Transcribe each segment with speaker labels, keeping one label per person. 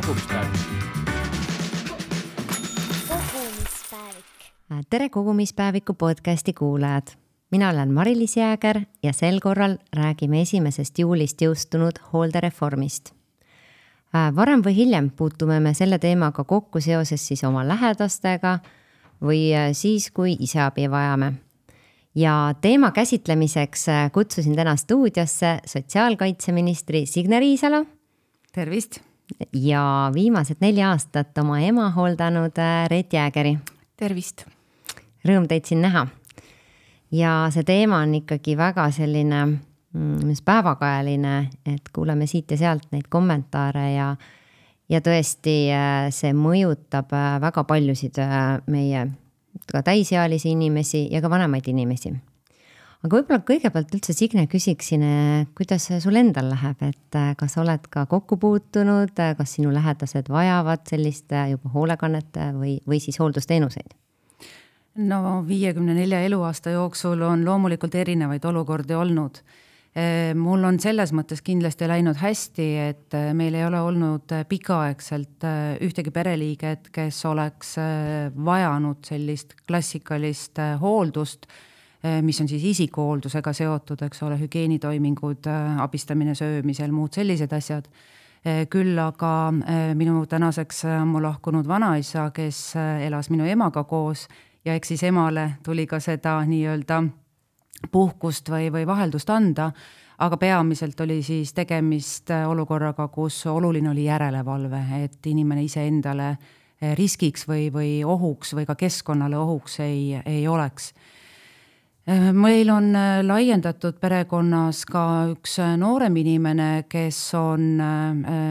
Speaker 1: kogumispäevik.
Speaker 2: Tere kogumispäeviku podcasti kuulajad. Mina olen Mari-Liis Jääger ja sel korral räägime 1. juulist jõustunud hooldereformist. Varem või hiljem puutume me selle teemaga kokku seoses siis oma lähedastega või siis, kui ise abi vajame. Ja teema käsitlemiseks kutsusin täna stuudiosse sotsiaalkaitseministri Signe Riisalo.
Speaker 3: Tervist!
Speaker 2: Ja viimased 4 aastat oma ema hooldanud Reet Jäägeri.
Speaker 3: Tervist!
Speaker 2: Rõõm teid siin näha. Ja see teema on ikkagi väga selline päevakajaline, et kuuleme siit ja sealt neid kommentaare ja tõesti see mõjutab väga paljusid meie ka täisealisi inimesi ja ka vanemaid inimesi. Aga võib-olla kõigepealt üldse Signe küsiksin, kuidas sul endal läheb, et kas oled ka kokku puutunud, kas sinu lähedased vajavad sellist juba hoolekannet või siis hooldusteenuseid?
Speaker 3: No 54 eluaasta jooksul on loomulikult erinevaid olukordi olnud. Mul on selles mõttes kindlasti läinud hästi, et meil ei ole olnud pikaaegselt ühtegi pereliiget, kes oleks vajanud sellist klassikalist hooldust, mis on siis isikuhooldusega seotud, eks ole, hügieenitoimingud, abistamine söömisel, muud sellised asjad. Küll aga minu tänaseks mu lahkunud vanaisa, kes elas minu emaga koos ja eks siis emale tuli ka seda nii-öelda puhkust või vaheldust anda, aga peamiselt oli siis tegemist olukorraga, kus oluline oli järelevalve, et inimene ise endale riskiks või ohuks või ka keskkonnale ohuks ei oleks. Meil on laiendatud perekonnas ka üks noorem inimene, kes on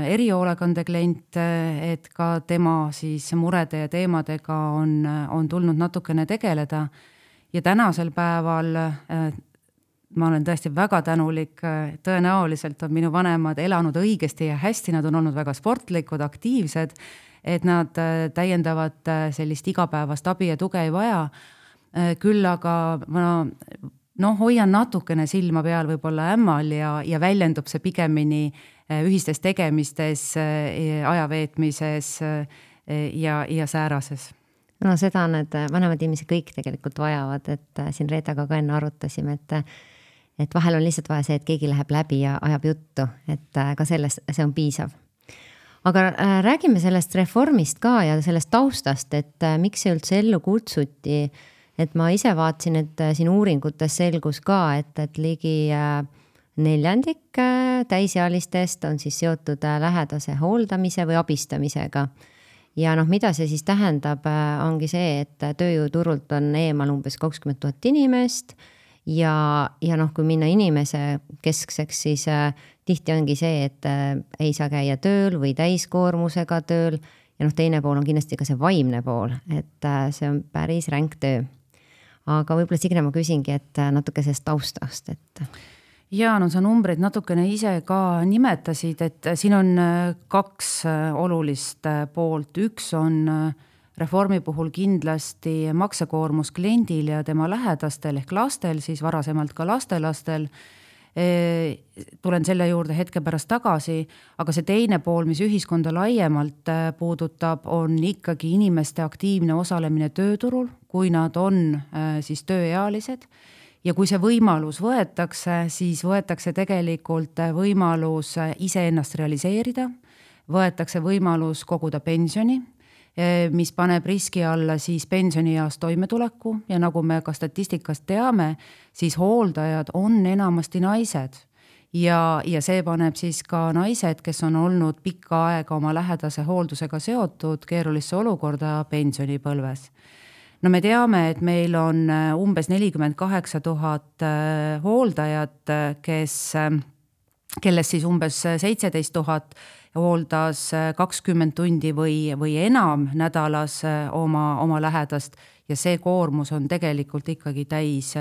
Speaker 3: erihoolekande klient, et ka tema siis murede ja teemadega on tulnud natukene tegeleda. Ja tänasel päeval ma olen tõesti väga tänulik, tõenäoliselt on minu vanemad elanud õigesti ja hästi, nad on olnud väga sportlikud, aktiivsed, et nad täiendavat sellist igapäevast abi ja tuge ei vaja. Küll aga ma hoian natukene silma peal võib-olla ämmal ja väljendub see pigemini ühistes tegemistes, ajaveetmises ja säärases.
Speaker 2: No seda need vanemad inimesed kõik tegelikult vajavad, et siin Reetaga ka enne arutasime, et vahel on lihtsalt vaja see, et keegi läheb läbi ja ajab juttu, et ka sellest see on piisav. Aga räägime sellest reformist ka ja sellest taustast, et miks see üldse ellu kutsuti, et ma ise vaatsin, et siin uuringutes selgus ka, et ligi 1/4 täisealistest on siis seotud lähedase hooldamise või abistamisega. Ja mida see siis tähendab, ongi see, et tööjõuturult on eemal umbes 20 000 inimest ja kui minna inimese keskseks, siis tihti ongi see, et ei saa käia tööl või täiskoormusega tööl ja teine pool on kindlasti ka see vaimne pool, et see on päris ränk töö. Aga võib-olla Signe ma küsingi, et natuke sellest taustast, et...
Speaker 3: Ja, sa numbreid natukene ise ka nimetasid, et siin on 2 olulist poolt. Üks on reformi puhul kindlasti maksekoormus kliendil ja tema lähedastel ehk lastel, siis varasemalt ka lastelastel. Tulen selle juurde hetke pärast tagasi, aga see teine pool, mis ühiskonda laiemalt puudutab, on ikkagi inimeste aktiivne osalemine tööturul, kui nad on siis tööealised. Ja kui see võimalus võetakse, siis võetakse tegelikult võimalus ise ennast realiseerida, võetakse võimalus koguda pensioni, mis paneb riski alla siis pensionieas toimetuleku ja nagu me ka statistikast teame, siis hooldajad on enamasti naised ja see paneb siis ka naised, kes on olnud pikka aega oma lähedase hooldusega seotud keerulisse olukorda pensionipõlves. No me teame, et meil on umbes 48 000 hooldajat, kellest siis umbes 17 000 hooldas 20 tundi või enam nädalas oma lähedast ja see koormus on tegelikult ikkagi täis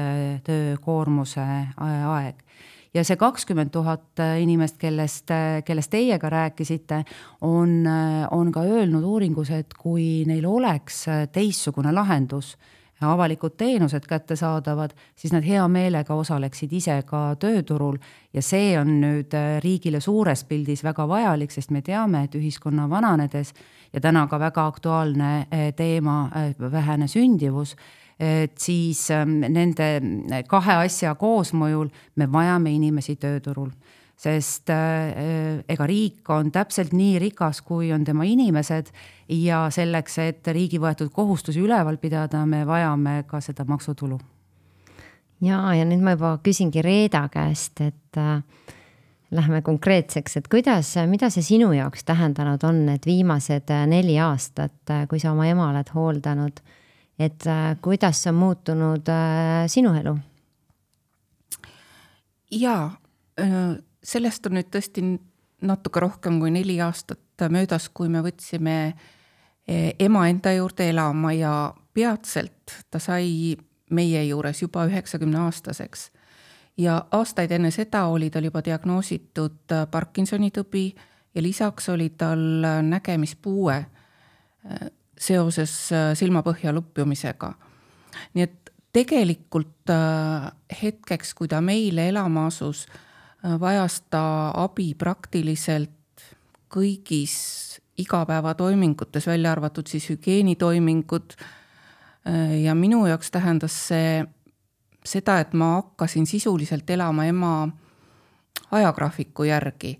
Speaker 3: töökoormuse aeg. Ja see 20 000 inimest, kellest teie ka rääkisite, on ka öelnud uuringus, et kui neil oleks teistsugune lahendus, avalikud teenused kättesaadavad, siis nad hea meelega osaleksid ise ka tööturul ja see on nüüd riigile suures pildis väga vajalik, sest me teame, et ühiskonna vananedes ja täna ka väga aktuaalne teema vähene sündivus, et siis nende kahe asja koosmõjul me vajame inimesi tööturul. Sest ega riik on täpselt nii rikas, kui on tema inimesed ja selleks, et riigi võetud kohustusi üleval pidada, me vajame ka seda maksutulu.
Speaker 2: Ja nüüd ma juba küsingi Reeda käest, et lähme konkreetseks, et mida see sinu jaoks tähendanud on, et viimased 4 aastat, kui sa oma ema oled hooldanud, et kuidas on muutunud sinu elu?
Speaker 1: Jaa, sellest on nüüd tõesti natuke rohkem kui 4 aastat möödas, kui me võtsime ema enda juurde elama ja peatselt ta sai meie juures juba 90-aastaseks. Ja aastaid enne seda oli tal juba diagnoositud Parkinsoni tõbi ja lisaks oli tal nägemispuue seoses silmapõhja lupjumisega. Nii et tegelikult hetkeks, kui ta meile elama asus, vajas ta abi praktiliselt kõigis igapäevatoimingutes, välja arvatud siis hügieenitoimingud. Ja minu jaoks tähendas see seda, et ma hakkasin sisuliselt elama ema ajagraafiku järgi,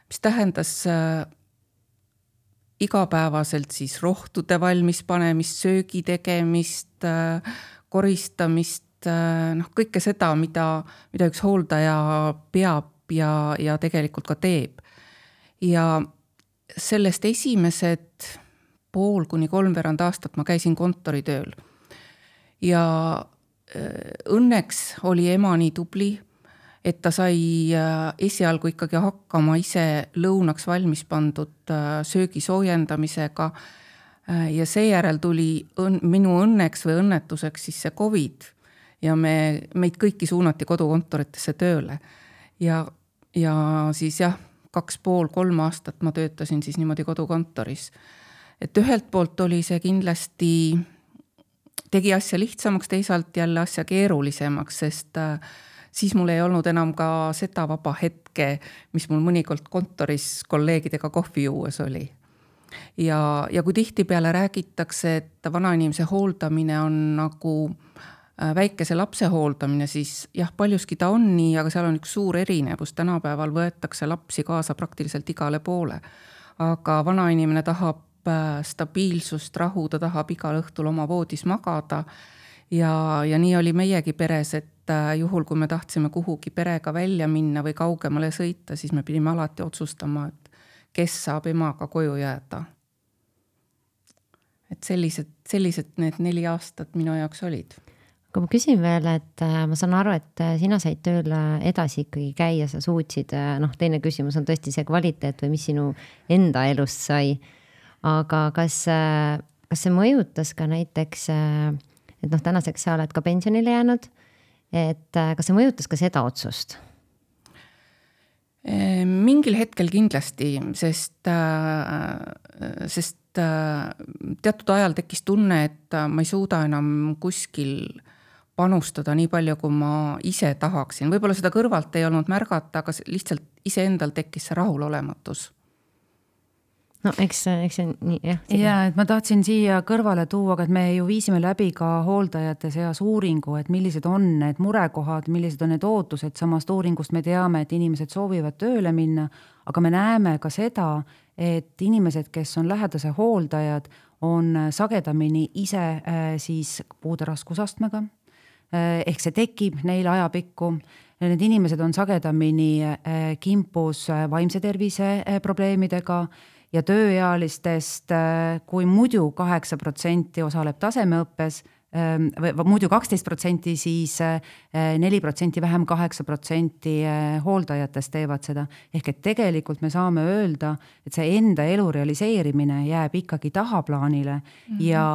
Speaker 1: mis tähendas igapäevaselt siis rohtude valmis panemist, söögi tegemist, koristamist, kõike seda, mida üks hooldaja peab ja tegelikult ka teeb. Ja sellest esimesed 2,5–3 aastat ma käisin kontoritööl. Ja õnneks oli ema nii tubli, et ta sai esialgu ikkagi hakkama ise lõunaks valmis pandud söögi soojendamisega ja seejärel tuli minu õnneks või õnnetuseks siis see COVID ja meid kõiki suunati kodukontoritesse tööle. Ja siis 2,5–3 aastat ma töötasin siis niimoodi kodukontoris. Et ühelt poolt oli see kindlasti, tegi asja lihtsamaks, teisalt jälle asja keerulisemaks, sest siis mul ei olnud enam ka seda vaba hetke, mis mul mõnikord kontoris kolleegidega kohvi juues oli. Ja kui tihti peale räägitakse, et vanainimese hooldamine on nagu väikese lapse hooldamine, siis jah, paljuski ta on nii, aga seal on üks suur erinevus. Tänapäeval võetakse lapsi kaasa praktiliselt igale poole. Aga vanainimene tahab stabiilsust, rahu, ta tahab igal õhtul oma voodis magada. Ja nii oli meiegi peres, et juhul, kui me tahtsime kuhugi perega välja minna või kaugemale sõita, siis me pidime alati otsustama, et kes saab emaga koju jääda. Et sellised need 4 aastat minu jaoks olid.
Speaker 2: Aga ma küsin veel, et ma saan aru, et sina said tööl edasi ikkagi käia, sa suutsid, teine küsimus on tõesti see kvaliteet või mis sinu enda elust sai. Aga kas see mõjutas ka näiteks, et tänaseks sa oled ka pensionile jäänud, et kas see mõjutas ka seda otsust?
Speaker 1: Mingil hetkel kindlasti, sest teatud ajal tekkis tunne, et ma ei suuda enam kuskil panustada nii palju, kui ma ise tahaksin. Võib-olla seda kõrvalt ei olnud märgata, aga lihtsalt iseendal tekkis see rahulolematus.
Speaker 2: No eks see nii, jah.
Speaker 3: Ja, et ma tahtsin siia kõrvale tuua, et me ju viisime läbi ka hooldajate seas uuringu, et millised on need murekohad, millised on need ootused. Samast uuringust me teame, et inimesed soovivad tööle minna, aga me näeme ka seda, et inimesed, kes on lähedase hooldajad, on sagedamini ise siis puude raskusastmega. Ehk see tekib neil ajapikku. Need inimesed on sagedamini kimpus vaimse tervise probleemidega ja tööealistest, kui muidu 8% osaleb tasemeõppes, või muidu 12%, siis 4% vähem 8% hooldajatest teevad seda. Ehk et tegelikult me saame öelda, et see enda elu realiseerimine jääb ikkagi tahaplaanile ja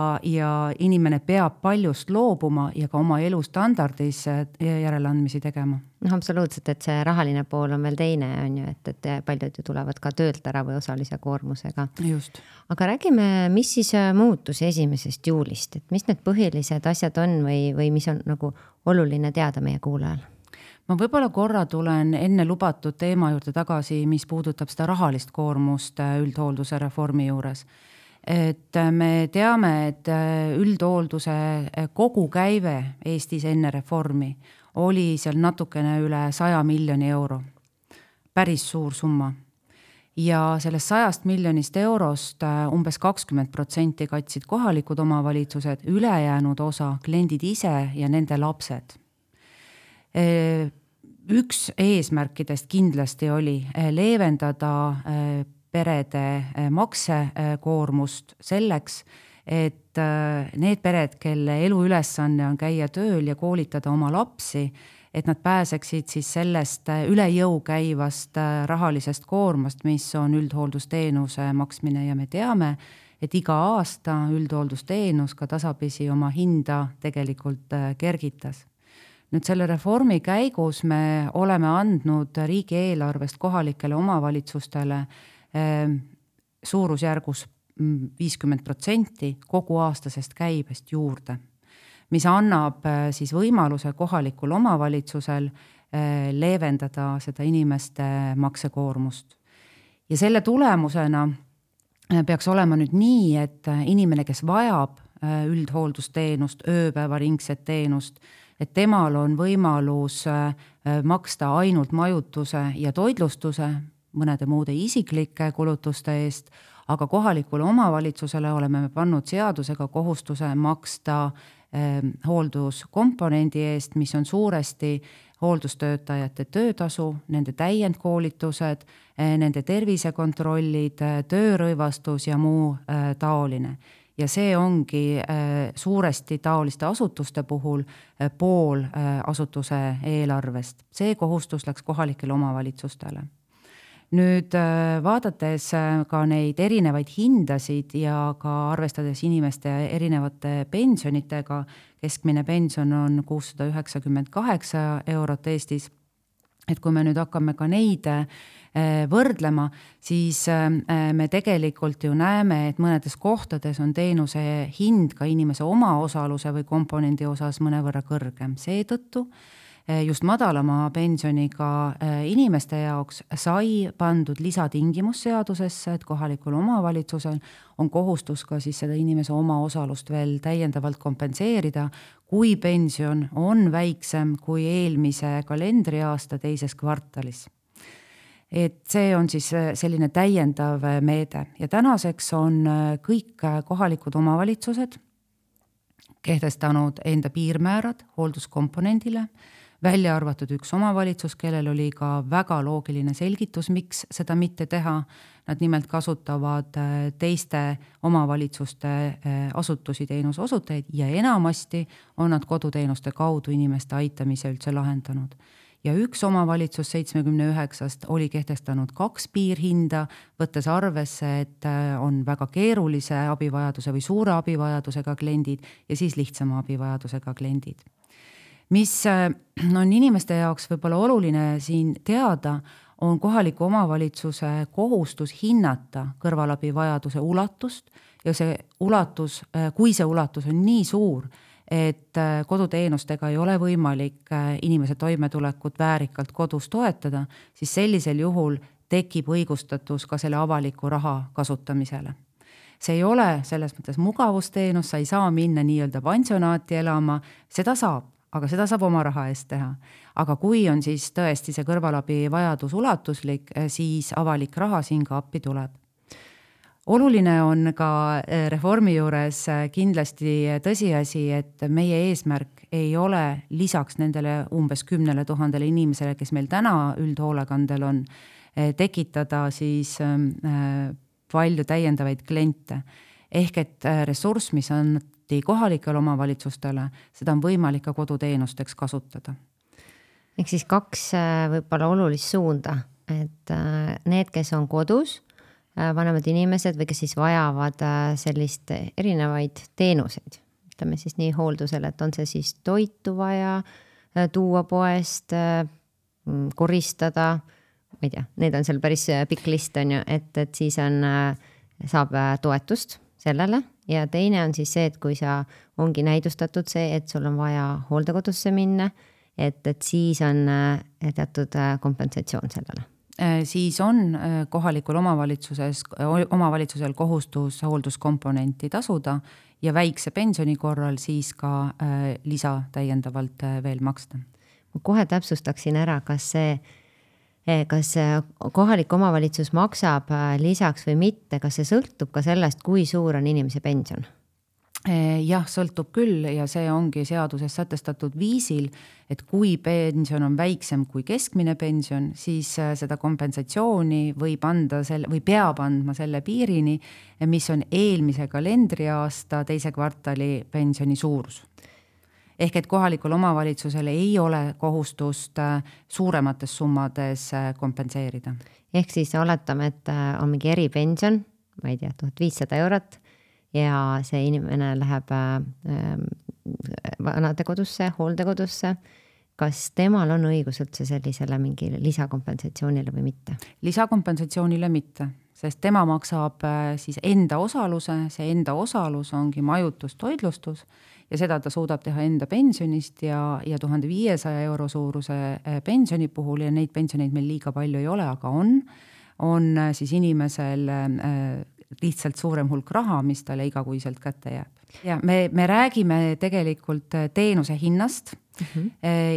Speaker 3: inimene peab paljust loobuma ja ka oma elustandardis järeleandmisi tegema.
Speaker 2: Absoluutselt, et see rahaline pool on veel teine, on ju, et paljud ju tulevad ka töölt ära või osalise koormusega.
Speaker 3: Just.
Speaker 2: Aga räägime, mis siis muutus 1. juulist, et mis need põhilised asjad on või mis on nagu oluline teada meie kuulajal?
Speaker 3: Ma võib-olla korra tulen enne lubatud teema juurde tagasi, mis puudutab seda rahalist koormust üldhoolduse reformi juures. Et me teame, et üldhoolduse kogukäive Eestis enne reformi oli seal natukene üle 100 miljoni euro. Päris suur summa. Ja sellest 100 miljonist eurost umbes 20% katsid kohalikud omavalitsused, ülejäänud osa kliendid ise ja nende lapsed. Üks eesmärkidest kindlasti oli leevendada perede maksekoormust selleks, et need pered, kelle eluülesanne on käia tööl ja koolitada oma lapsi, et nad pääseksid siis sellest üle jõu käivast rahalisest koormast, mis on üldhooldusteenuse maksmine ja me teame, et iga aasta üldhooldusteenus ka tasapisi oma hinda tegelikult kergitas. Nüüd selle reformi käigus me oleme andnud riigieelarvest kohalikele omavalitsustele suurusjärgus 50% kogu aastasest käibest juurde, mis annab siis võimaluse kohalikul omavalitsusel leevendada seda inimeste maksekoormust. Ja selle tulemusena peaks olema nüüd nii, et inimene, kes vajab üldhooldusteenust, ööpäevaringset teenust, et temal on võimalus maksta ainult majutuse ja toitlustuse, mõnede muude isiklike kulutuste eest, aga kohalikule omavalitsusele oleme pannud seadusega kohustuse maksta hoolduskomponendi eest, mis on suuresti hooldustöötajate töötasu, nende täiendkoolitused, nende tervisekontrollid, töörõivastus ja muu taoline. Ja see ongi suuresti taoliste asutuste puhul pool asutuse eelarvest. See kohustus läks kohalikele omavalitsustele. Nüüd vaadates ka neid erinevaid hindasid ja ka arvestades inimeste erinevate pensionitega, keskmine pension on 698 eurot Eestis, et kui me nüüd hakkame ka neid võrdlema, siis me tegelikult ju näeme, et mõnedes kohtades on teenuse hind ka inimese omaosaluse või komponendi osas mõnevõrra kõrgem. Seetõttu just madalama pensioniga inimeste jaoks sai pandud lisatingimus seadusesse, et kohalikul omavalitsusel on kohustus ka siis seda inimese omaosalust veel täiendavalt kompenseerida, kui pension on väiksem kui eelmise kalendriaasta teises kvartalis. Et see on siis selline täiendav meede ja tänaseks on kõik kohalikud omavalitsused kehtestanud enda piirmäärad hoolduskomponendile, välja arvatud üks omavalitsus, kellel oli ka väga loogiline selgitus, miks seda mitte teha. Nad nimelt kasutavad teiste omavalitsuste asutusi teenuse osutajaid ja enamasti on nad koduteenuste kaudu inimeste aitamise üldse lahendanud. Ja üks omavalitsus 79 oli kehtestanud 2 piirhinda, võttes arvesse, et on väga keerulise abivajaduse või suure abivajadusega kliendid ja siis lihtsama abivajadusega kliendid. Mis on inimeste jaoks võib-olla oluline siin teada, on kohaliku omavalitsuse kohustus hinnata kõrvalabivajaduse ulatust ja see ulatus, kui see ulatus on nii suur, et koduteenustega ei ole võimalik inimese toimetulekut väärikalt kodus toetada, siis sellisel juhul tekib õigustatus ka selle avaliku raha kasutamisele. See ei ole selles mõttes mugavusteenus, sa ei saa minna nii-öelda pansionaati elama, seda saab, aga seda saab oma raha eest teha. Aga kui on siis tõesti see kõrvalabi vajadus ulatuslik, siis avalik raha siin ka appi tuleb. Oluline on ka reformi juures kindlasti tõsiasi, et meie eesmärk ei ole lisaks nendele umbes 10 000 inimesele, kes meil täna üldhoolekandel on, tekitada siis palju täiendavaid kliente. Ehk et ressurss, mis on kohalikele omavalitsustele, seda on võimalik ka koduteenusteks kasutada.
Speaker 2: Ehk siis 2 võib-olla olulist suunda, et need, kes on kodus, vanemad inimesed või kes siis vajavad sellist erinevaid teenuseid, ütleme siis nii hooldusele, et on see siis toitu vaja tuua poest, koristada, ma ei tea, need on seal päris pikk list on ju, et siis saab toetust sellele ja teine on siis see, et kui sa ongi näidustatud see, et sul on vaja hooldekodusse minna, et siis on teatud kompensatsioon sellele.
Speaker 3: Siis on kohalikul omavalitsusel kohustus hoolduskomponenti tasuda ja väikse pensioni korral siis ka lisa täiendavalt veel maksta.
Speaker 2: Ma kohe täpsustaksin ära, kas kohalik omavalitsus maksab lisaks või mitte, kas see sõltub ka sellest, kui suur on inimese pension?
Speaker 3: Jah, sõltub küll ja see ongi seaduses sätestatud viisil, et kui pension on väiksem kui keskmine pension, siis seda kompensatsiooni või peab andma selle piirini, mis on eelmise kalendriaasta teise kvartali pensioni suurus. Ehk et kohalikul omavalitsusel ei ole kohustust suuremates summades kompenseerida.
Speaker 2: Ehk siis oletame, et on mingi eripension, ma ei tea, 1500 eurot, ja see inimene läheb vanadekodusse, hooldekodusse. Kas temal on õigus üldse sellisele mingi lisakompensatsioonile või mitte?
Speaker 3: Lisakompensatsioonile mitte, sest tema maksab siis enda osaluse, see enda osalus ongi majutus, toitlustus ja seda ta suudab teha enda pensionist ja 1500 euro suuruse pensioni puhul ja neid pensioneid meil liiga palju ei ole, aga on siis inimesel lihtsalt suurem hulk raha, mis talle igakuiselt kätte jääb. Ja me räägime tegelikult teenuse hinnast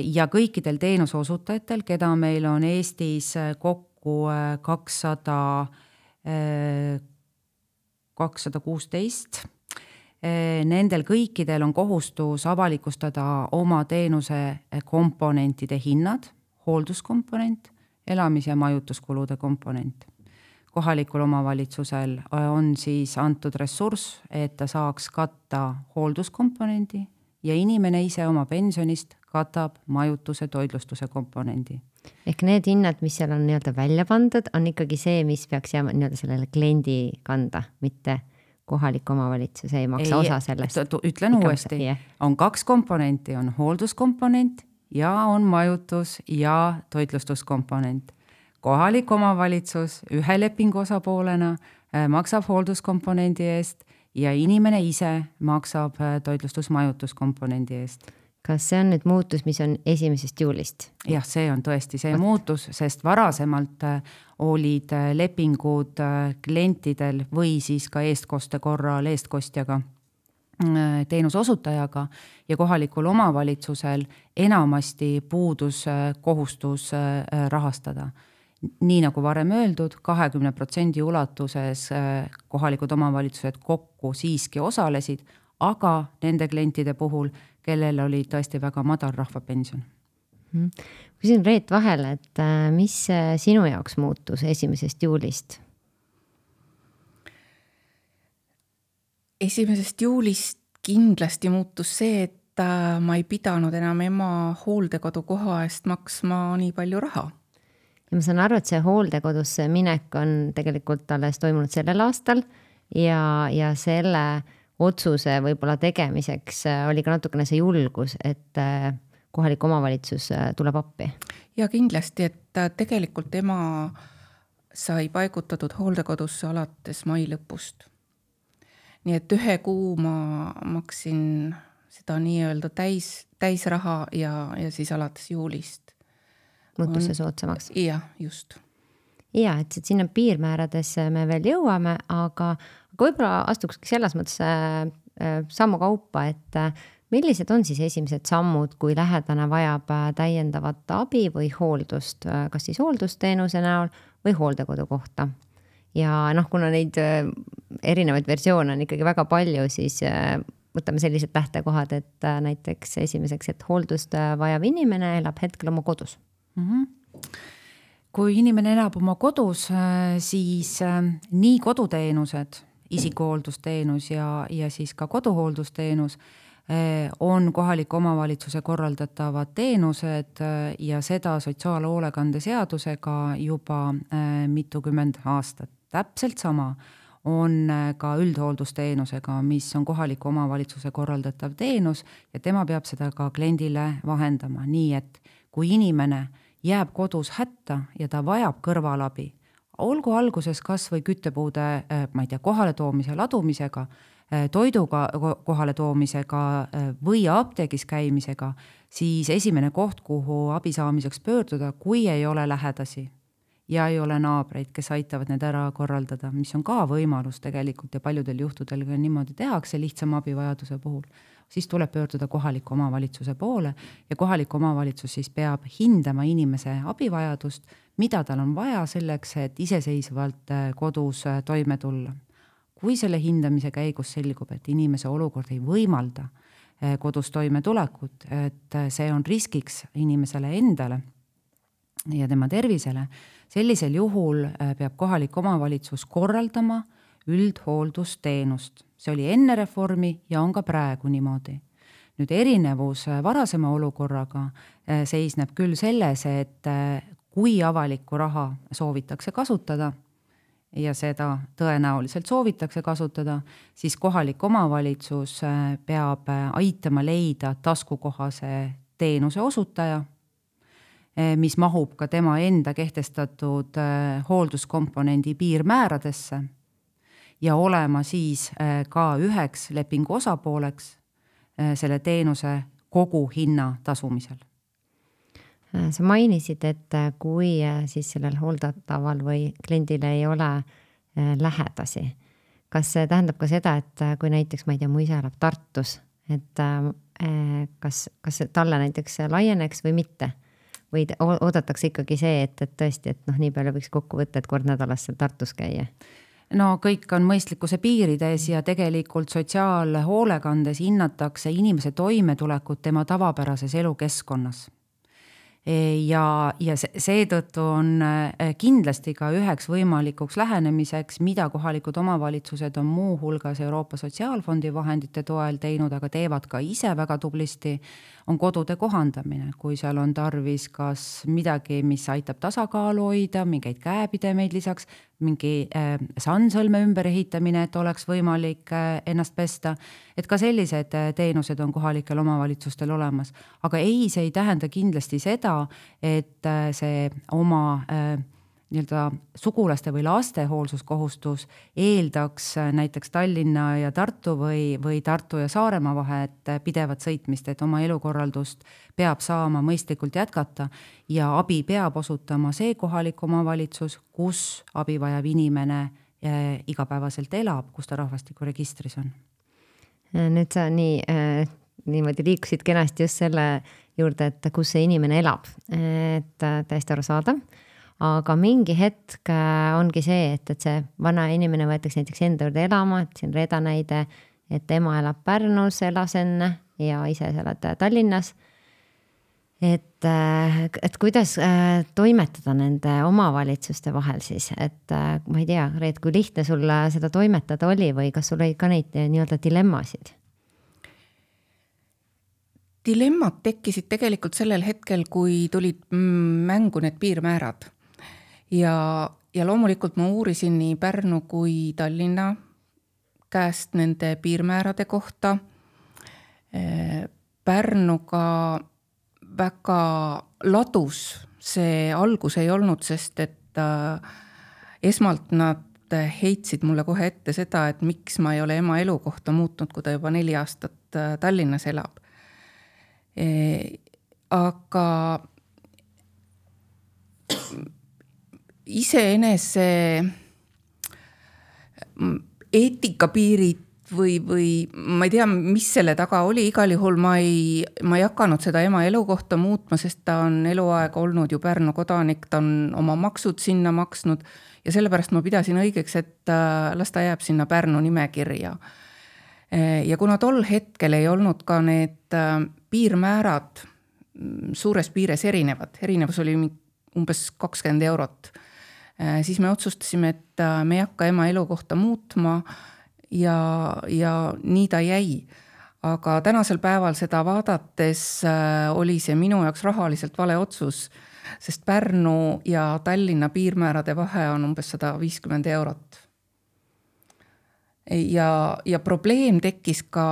Speaker 3: ja kõikidel teenuse osutajatel, keda meil on Eestis kokku 216. Nendel kõikidel on kohustus avalikustada oma teenuse komponentide hinnad, hoolduskomponent, elamis- ja majutuskulude komponent. Kohalikul omavalitsusel on siis antud ressurss, et ta saaks katta hoolduskomponendi ja inimene ise oma pensionist katab majutuse, toitlustuse komponendi.
Speaker 2: Ehk need hinnad, mis seal on nii-öelda välja pandud, on ikkagi see, mis peaks jääma nii-öelda sellele kliendi kanda, mitte kohalik omavalitsus ei maksa osa sellest.
Speaker 3: Ütlen uuesti, on 2 komponenti, on hoolduskomponent ja on majutus ja toitlustuskomponent. Kohalik omavalitsus ühe lepingu osapoolena maksab hoolduskomponendi eest ja inimene ise maksab toitlustusmajutuskomponendi eest.
Speaker 2: Kas see on nüüd muutus, mis on 1. juulist?
Speaker 3: Jah, see on tõesti see muutus, sest varasemalt olid lepingud klientidel või siis ka eestkoste korral eestkostjaga teenuse osutajaga ja kohalikul omavalitsusel enamasti puudus kohustus rahastada. Nii nagu varem öeldud, 20% ulatuses kohalikud omavalitsused kokku siiski osalesid, aga nende klientide puhul, kellel oli tõesti väga madal rahvapension.
Speaker 2: Küsin Reet vahele, et mis sinu jaoks muutus 1. juulist?
Speaker 1: 1. juulist kindlasti muutus see, et ma ei pidanud enam ema hooldekodu koha eest maksma nii palju raha.
Speaker 2: Ja ma saan aru, et see hooldekodusse minek on tegelikult alles toimunud sellel aastal ja selle otsuse võib-olla tegemiseks oli ka natukene see julgus, et kohalik omavalitsus tuleb appi.
Speaker 1: Ja kindlasti, et tegelikult ema sai paigutatud hooldekodusse alates mai lõpust. Nii et 1 kuu ma maksin seda nii-öelda täis raha ja siis alates juulist.
Speaker 2: Muutus see soodsamaks.
Speaker 1: Ja, just.
Speaker 2: Ja, et sinna piirmäärades me veel jõuame, aga võib-olla astukski selles mõttes sammu kaupa, et millised on siis esimesed sammud, kui lähedane vajab täiendavat abi või hooldust, kas siis hooldusteenuse näol või hooldekodu kohta. Ja kuna neid erinevaid versioone on ikkagi väga palju, siis võtame sellised lähtekohad, et näiteks esimeseks, et hooldust vajav inimene elab hetkel oma kodus.
Speaker 3: Kui inimene elab oma kodus, siis nii koduteenused, isikuhooldusteenus ja siis ka koduhooldusteenus on kohaliku omavalitsuse korraldatavad teenused ja seda sotsiaalhoolekande seadusega juba mitukümmend aastat. Täpselt sama on ka üldhooldusteenusega, mis on kohaliku omavalitsuse korraldatav teenus ja tema peab seda ka kliendile vahendama. Nii et kui inimene jääb kodus hätta ja ta vajab kõrvalabi, olgu alguses kas või küttepuude, kohale toomise ladumisega, toiduga kohale toomisega või apteegis käimisega, siis esimene koht, kuhu abi saamiseks pöörduda, kui ei ole lähedasi ja ei ole naabreid, kes aitavad need ära korraldada, mis on ka võimalus tegelikult ja paljudel juhtudel ka niimoodi tehakse lihtsama abivajaduse puhul, siis tuleb pöörduda kohaliku omavalitsuse poole ja kohalik omavalitsus siis peab hindama inimese abivajadust, mida tal on vaja selleks, et iseseisvalt kodus toime tulla. Kui selle hindamise käigus selgub, et inimese olukord ei võimalda kodus toime tulekut, et see on riskiks inimesele endale ja tema tervisele, sellisel juhul peab kohalik omavalitsus korraldama üldhooldusteenust. See oli enne reformi ja on ka praegu niimoodi. Nüüd erinevus varasema olukorraga seisneb küll selles, et kui avalikku raha soovitakse kasutada ja seda tõenäoliselt soovitakse kasutada, siis kohalik omavalitsus peab aitama leida taskukohase teenuse osutaja, mis mahub ka tema enda kehtestatud hoolduskomponendi piirmääradesse ja olema siis ka üheks lepingu osapooleks selle teenuse kogu hinna tasumisel.
Speaker 2: Sa mainisid, et kui siis sellel hooldataval või kliendil ei ole lähedasi, kas see tähendab ka seda, et kui näiteks, ma ei tea, mu isa elab Tartus, et kas talle näiteks laieneks või mitte? Või oodatakse ikkagi see, et tõesti, et nii palju võiks kokku võtta, et kord nädalas seal Tartus käia?
Speaker 3: No kõik on mõistlikkuse piirides ja tegelikult sotsiaalhoolekandes hinnatakse inimese toimetulekut tema tavapärases elukeskkonnas. Ja seetõttu on kindlasti ka üheks võimalikuks lähenemiseks, mida kohalikud omavalitsused on muu hulgas Euroopa Sotsiaalfondi vahendite toel teinud, aga teevad ka ise väga tublisti, on kodude kohandamine, kui seal on tarvis kas midagi, mis aitab tasakaalu hoida, mingeid käepidemeid lisaks, mingi sandsõlme ümber ehitamine, et oleks võimalik ennast pesta, et ka sellised teenused on kohalikel omavalitsustel olemas. Aga ei, see ei tähenda kindlasti seda, et see oma sugulaste või laste hoolsuskohustus eeldaks näiteks Tallinna ja Tartu või Tartu ja Saaremaa vahet pidevat sõitmist, et oma elukorraldust peab saama mõistlikult jätkata ja abi peab osutama see kohalik omavalitsus, kus abi vajav inimene igapäevaselt elab, kus ta rahvastikuregistris on.
Speaker 2: Nüüd sa niimoodi liikusid kenasti just selle juurde, et kus see inimene elab, et täiesti aru saada. Aga mingi hetk ongi see, et see vana inimene võetakse näiteks enda juurde elama, et siin Reeda näide, et ema elab Pärnus, elas enne ja ise elad Tallinnas. Et kuidas toimetada nende omavalitsuste vahel siis, et ma ei tea, Reet, kui lihtne sul seda toimetada oli või kas sul oli ka neid nii-öelda dilemmasid?
Speaker 1: Dilemmad tekkisid tegelikult sellel hetkel, kui tulid mängu need piirmäärad. Ja loomulikult ma uurisin nii Pärnu kui Tallinna käest nende piirmäärade kohta. Pärnuga väga ladus see algus ei olnud, sest et esmalt nad heitsid mulle kohe ette seda, et miks ma ei ole ema elukohta muutnud, kui ta juba 4 aastat Tallinnas elab. Aga iseenese eetikapiirid või ma ei tea, mis selle taga oli, igal juhul ma ei hakanud seda ema elukohta muutma, sest ta on eluaeg olnud ju Pärnu kodanik, ta on oma maksud sinna maksnud ja sellepärast ma pidasin õigeks, et las ta jääb sinna Pärnu nimekirja. Ja kuna tol hetkel ei olnud ka need piirmäärad suures piires erinevus oli umbes 20 €, siis me otsustasime, et me ei hakka ema elukohta muutma ja nii ta jäi. Aga tänasel päeval seda vaadates oli see minu jaoks rahaliselt vale otsus, sest Pärnu ja Tallinna piirmäärade vahe on umbes 150 €. ja probleem tekkis ka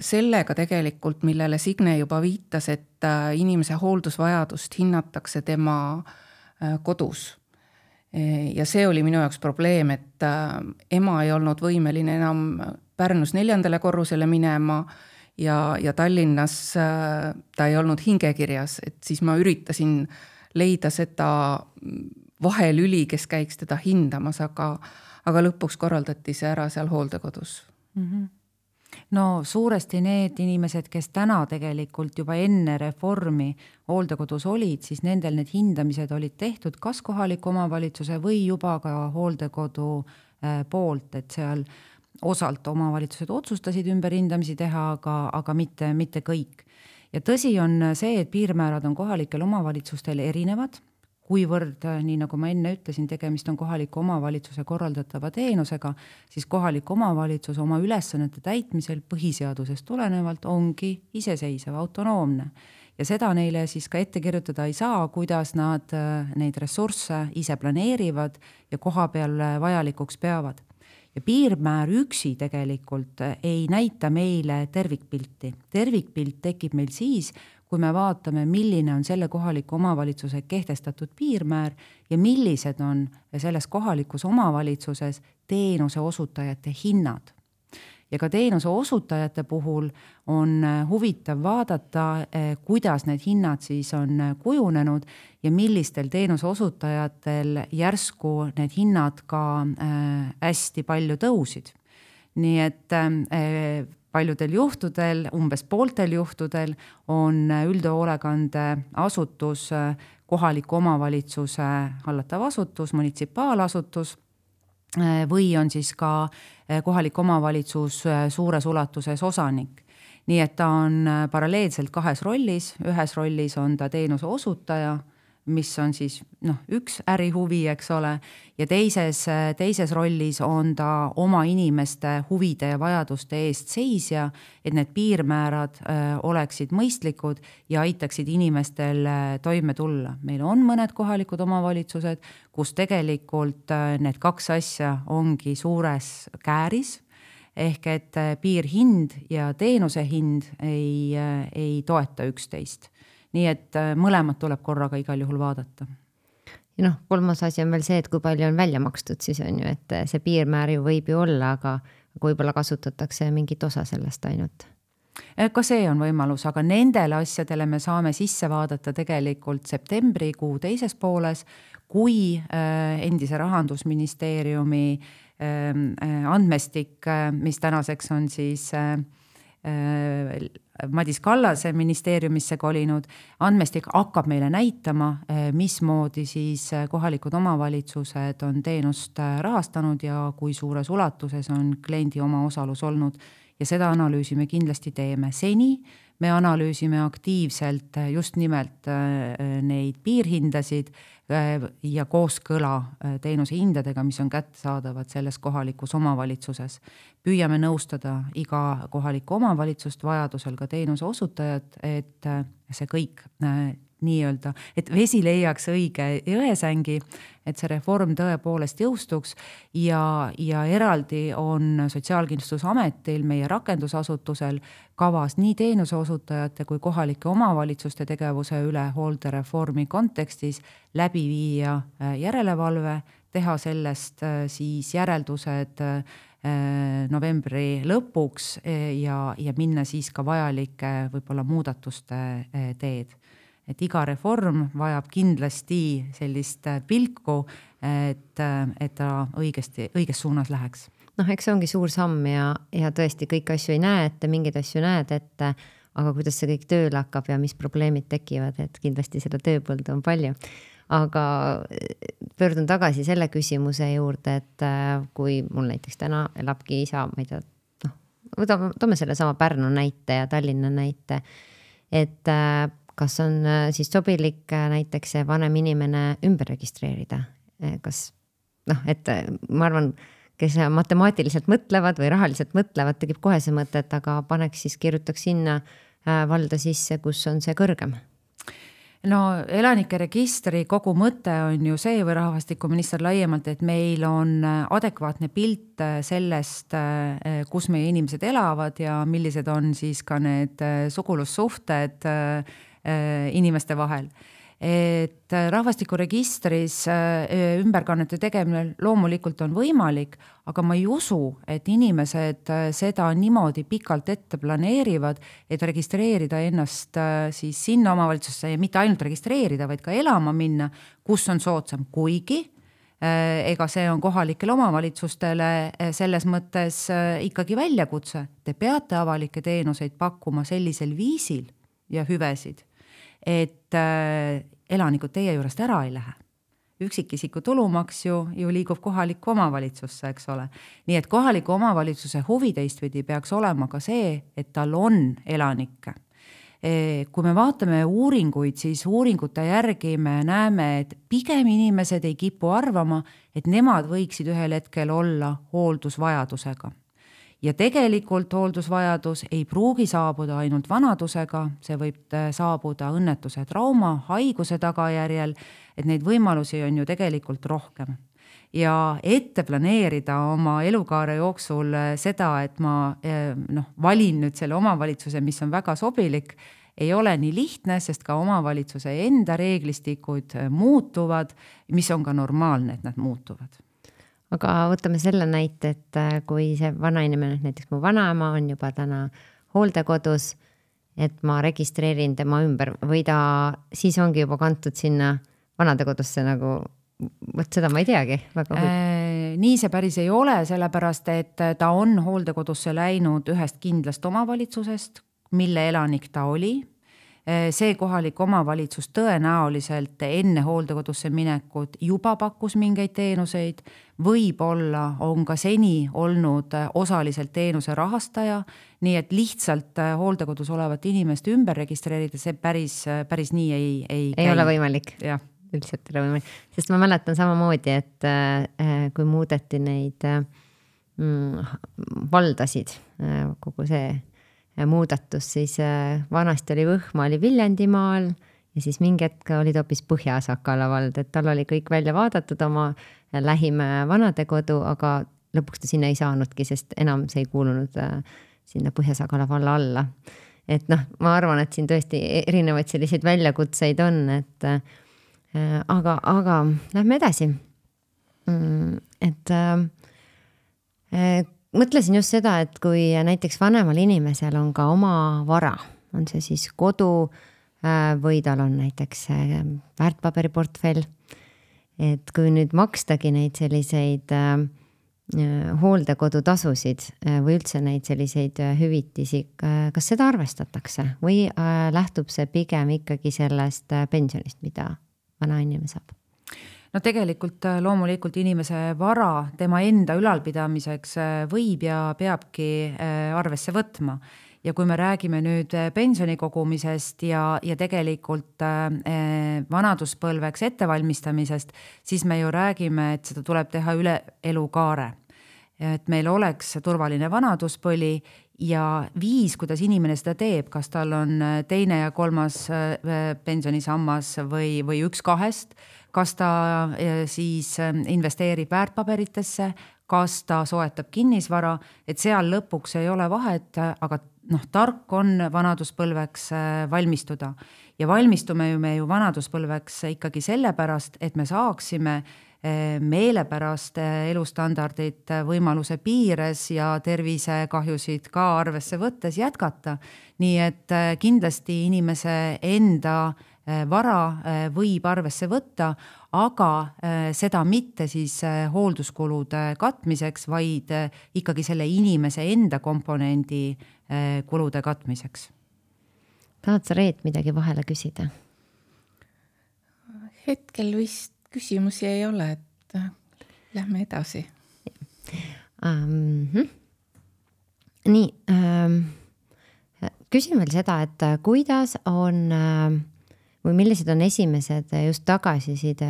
Speaker 1: sellega tegelikult, millele Signe juba viitas, et inimese hooldusvajadust hinnatakse tema kodus. Ja see oli minu jaoks probleem, et ema ei olnud võimeline enam Pärnus 4. korrusele minema ja Tallinnas ta ei olnud hingekirjas, et siis ma üritasin leida seda vahelüli, kes käiks teda hindamas, aga lõpuks korraldati see ära seal hooldekodus.
Speaker 3: No suuresti need inimesed, kes täna tegelikult juba enne reformi hooldekodus olid, siis nendel need hindamised olid tehtud kas kohaliku omavalitsuse või juba ka hooldekodu poolt, et seal osalt omavalitsused otsustasid ümberhindamisi teha, aga mitte kõik. Ja tõsi on see, et piirmäärad on kohalikel omavalitsustel erinevad, kuivõrd, nii nagu ma enne ütlesin, tegemist on kohaliku omavalitsuse korraldatava teenusega, siis kohalik omavalitsus oma ülesannete täitmisel põhiseadusest tulenevalt ongi iseseisev, autonoomne. Ja seda neile siis ka ette kirjutada ei saa, kuidas nad neid ressursse ise planeerivad ja koha peal vajalikuks peavad. Ja piirmäär üksi tegelikult ei näita meile tervikpilti. Tervikpilt tekib meil siis, kui me vaatame, milline on selle kohaliku omavalitsuse kehtestatud piirmäär ja millised on selles kohalikus omavalitsuses teenuse osutajate hinnad. Ja ka teenuse osutajate puhul on huvitav vaadata, kuidas need hinnad siis on kujunenud ja millistel teenuse osutajatel järsku need hinnad ka hästi palju tõusid. Nii et paljudel juhtudel, umbes pooltel juhtudel on üldhoolekande asutus kohaliku omavalitsuse hallatav asutus, munitsipaalasutus või on siis ka kohalik omavalitsus suures ulatuses osanik. Nii et ta on paralleelselt kahes rollis. Ühes rollis on ta teenuse osutaja, mis on siis üks ärihuvi, eks ole, ja teises rollis on ta oma inimeste huvide ja vajaduste eest seisja, et need piirmäärad oleksid mõistlikud ja aitaksid inimestel toime tulla. Meil on mõned kohalikud omavalitsused, kus tegelikult need kaks asja ongi suures kääris, ehk et piirhind ja teenuse hind ei toeta üksteist. Nii et mõlemad tuleb korraga igal juhul vaadata.
Speaker 2: Ja kolmas asi on veel see, et kui palju on välja makstud, siis on ju, et see piirmäär ju võib ju olla, aga võib-olla kasutatakse mingit osa sellest ainult.
Speaker 3: Ka see on võimalus, aga nendele asjadele me saame sisse vaadata tegelikult septembrikuu teises pooles, kui endise Rahandusministeeriumi andmestik, mis tänaseks on siis Madis Kallase ministeeriumisse kolinud, andmestik hakkab meile näitama, mismoodi siis kohalikud omavalitsused on teenust rahastanud ja kui suures ulatuses on kliendi oma osalus olnud. Ja seda analüüsi me kindlasti teeme. Seni me analüüsime aktiivselt just nimelt neid piirhindasid ja kooskõla teenuse hindadega, mis on kättesaadavad selles kohalikus omavalitsuses. Püüame nõustada iga kohalikku omavalitsust, vajadusel ka teenuse osutajat, et see kõik nii-öelda, et vesi leiaks õige jõesängi, et see reform tõepoolest jõustuks ja eraldi on Sotsiaalkindlustusametil, meie rakendusasutusel kavas nii teenuse osutajate kui kohalike omavalitsuste tegevuse üle hooldereformi kontekstis läbi viia järelevalve, teha sellest siis järeldused novembri lõpuks ja minna siis ka vajalike võib-olla muudatuste teed. Et iga reform vajab kindlasti sellist pilku, et ta õiges suunas läheks.
Speaker 2: Eks see ongi suur samm ja tõesti kõik asju ei näe ette, mingeid asju näed ette, aga kuidas see kõik tööle hakkab ja mis probleemid tekivad, et kindlasti seda tööpõldu on palju. Aga pöördun tagasi selle küsimuse juurde, et kui mul näiteks täna elabki isa, ma ei tea, toome selle sama Pärnu näite ja Tallinna näite, et kas on siis sobilik näiteks see vanem inimene ümber registreerida? Kas, et ma arvan, kes matemaatiliselt mõtlevad või rahaliselt mõtlevad, tegib kohe see mõtet, aga paneks siis, kirjutaks sinna valda sisse, kus on see kõrgem.
Speaker 3: No elanike registri kogu mõte on ju see või rahvastikuminister laiemalt, et meil on adekvaatne pilt sellest, kus meie inimesed elavad ja millised on siis ka need sugulussuhted inimeste vahel. Et rahvastikuregistris ümberkannete tegemine loomulikult on võimalik, aga ma ei usu, et inimesed seda niimoodi pikalt ette planeerivad, et registreerida ennast siis sinna omavalitsusse ja mitte ainult registreerida, vaid ka elama minna, kus on soodsam, kuigi ega see on kohalikele omavalitsustele selles mõttes ikkagi väljakutse. Te peate avalikke teenuseid pakkuma sellisel viisil ja hüvesid, et elanikud teie juurest ära ei lähe. Üksikisiku tulumaks ju liigub kohalikku omavalitsusse, eks ole. Nii et kohaliku omavalitsuse huvi teistpidi peaks olema ka see, et tal on elanikke. Kui me vaatame uuringuid, siis uuringute järgi me näeme, et pigem inimesed ei kipu arvama, et nemad võiksid ühel hetkel olla hooldusvajadusega. Ja tegelikult hooldusvajadus ei pruugi saabuda ainult vanadusega, see võib saabuda õnnetuse, trauma, haiguse tagajärjel, et neid võimalusi on ju tegelikult rohkem. Ja ette planeerida oma elukaare jooksul seda, et ma valin nüüd selle omavalitsuse, mis on väga sobilik, ei ole nii lihtne, sest ka omavalitsuse enda reeglistikud muutuvad, mis on ka normaalne, et nad muutuvad.
Speaker 2: Aga võtame selle näite, et kui see vanainimene, näiteks mu vanaema on juba täna hooldekodus, et ma registreerin tema ümber või ta siis ongi juba kantud sinna vanadekodusse nagu, võt seda ma ei teagi.
Speaker 3: Nii see päris ei ole, sellepärast, et ta on hooldekodusse läinud ühest kindlast omavalitsusest, mille elanik ta oli. See kohalik omavalitsus tõenäoliselt enne hooldekodusse minekut juba pakkus mingeid teenuseid, võib-olla on ka seni olnud osaliselt teenuse rahastaja, nii et lihtsalt hooldekodus olevat inimest ümber registreerida, see päris nii ei
Speaker 2: ole võimalik.
Speaker 3: Jah.
Speaker 2: Üldiselt ei ole võimalik. Sest ma mäletan samamoodi, et kui muudeti neid valdasid, kogu see muudatus, siis vanasti oli Võhma oli Viljandimaal ja siis mingi hetk olid hoopis Põhja-Sakala vald, et tal oli kõik välja vaadatud oma lähim vanadekodu, aga lõpuks ta sinna ei saanudki, sest enam see ei kuulunud sinna Põhja-Sakala valla alla. Et ma arvan, et siin tõesti erinevaid selliseid väljakutseid on, et aga lähme edasi. Et mõtlesin just seda, et kui näiteks vanemal inimesel on ka oma vara, on see siis kodu või tal on näiteks väärtpaberiportfell, et kui nüüd makstagi neid selliseid hooldekodutasusid või üldse neid selliseid hüvitisi, kas seda arvestatakse või lähtub see pigem ikkagi sellest pensionist, mida vanainimene saab?
Speaker 3: No tegelikult loomulikult inimese vara tema enda ülalpidamiseks võib ja peabki arvesse võtma. Ja kui me räägime nüüd pensionikogumisest ja tegelikult vanaduspõlveks ettevalmistamisest, siis me ju räägime, et seda tuleb teha üle elukaare. Et meil oleks turvaline vanaduspõli ja viis, kuidas inimene seda teeb, kas tal on teine ja kolmas pensionisammas või üks kahest, kas ta siis investeerib väärtpaberitesse, kas ta soetab kinnisvara, et seal lõpuks ei ole vahet, aga tark on vanaduspõlveks valmistuda. Ja valmistume me ju vanaduspõlveks ikkagi sellepärast, et me saaksime meelepärast elustandardit võimaluse piires ja tervisekahjusid ka arvesse võttes jätkata. Nii et kindlasti inimese enda vara võib arvesse võtta, aga seda mitte siis hoolduskulude katmiseks, vaid ikkagi selle inimese enda komponendi kulude katmiseks.
Speaker 2: Tahad sa, Reet, midagi vahele küsida?
Speaker 1: Hetkel vist küsimusi ei ole, et lähme edasi.
Speaker 2: Nii, küsin veel seda, et kuidas on või millised on esimesed just tagasiside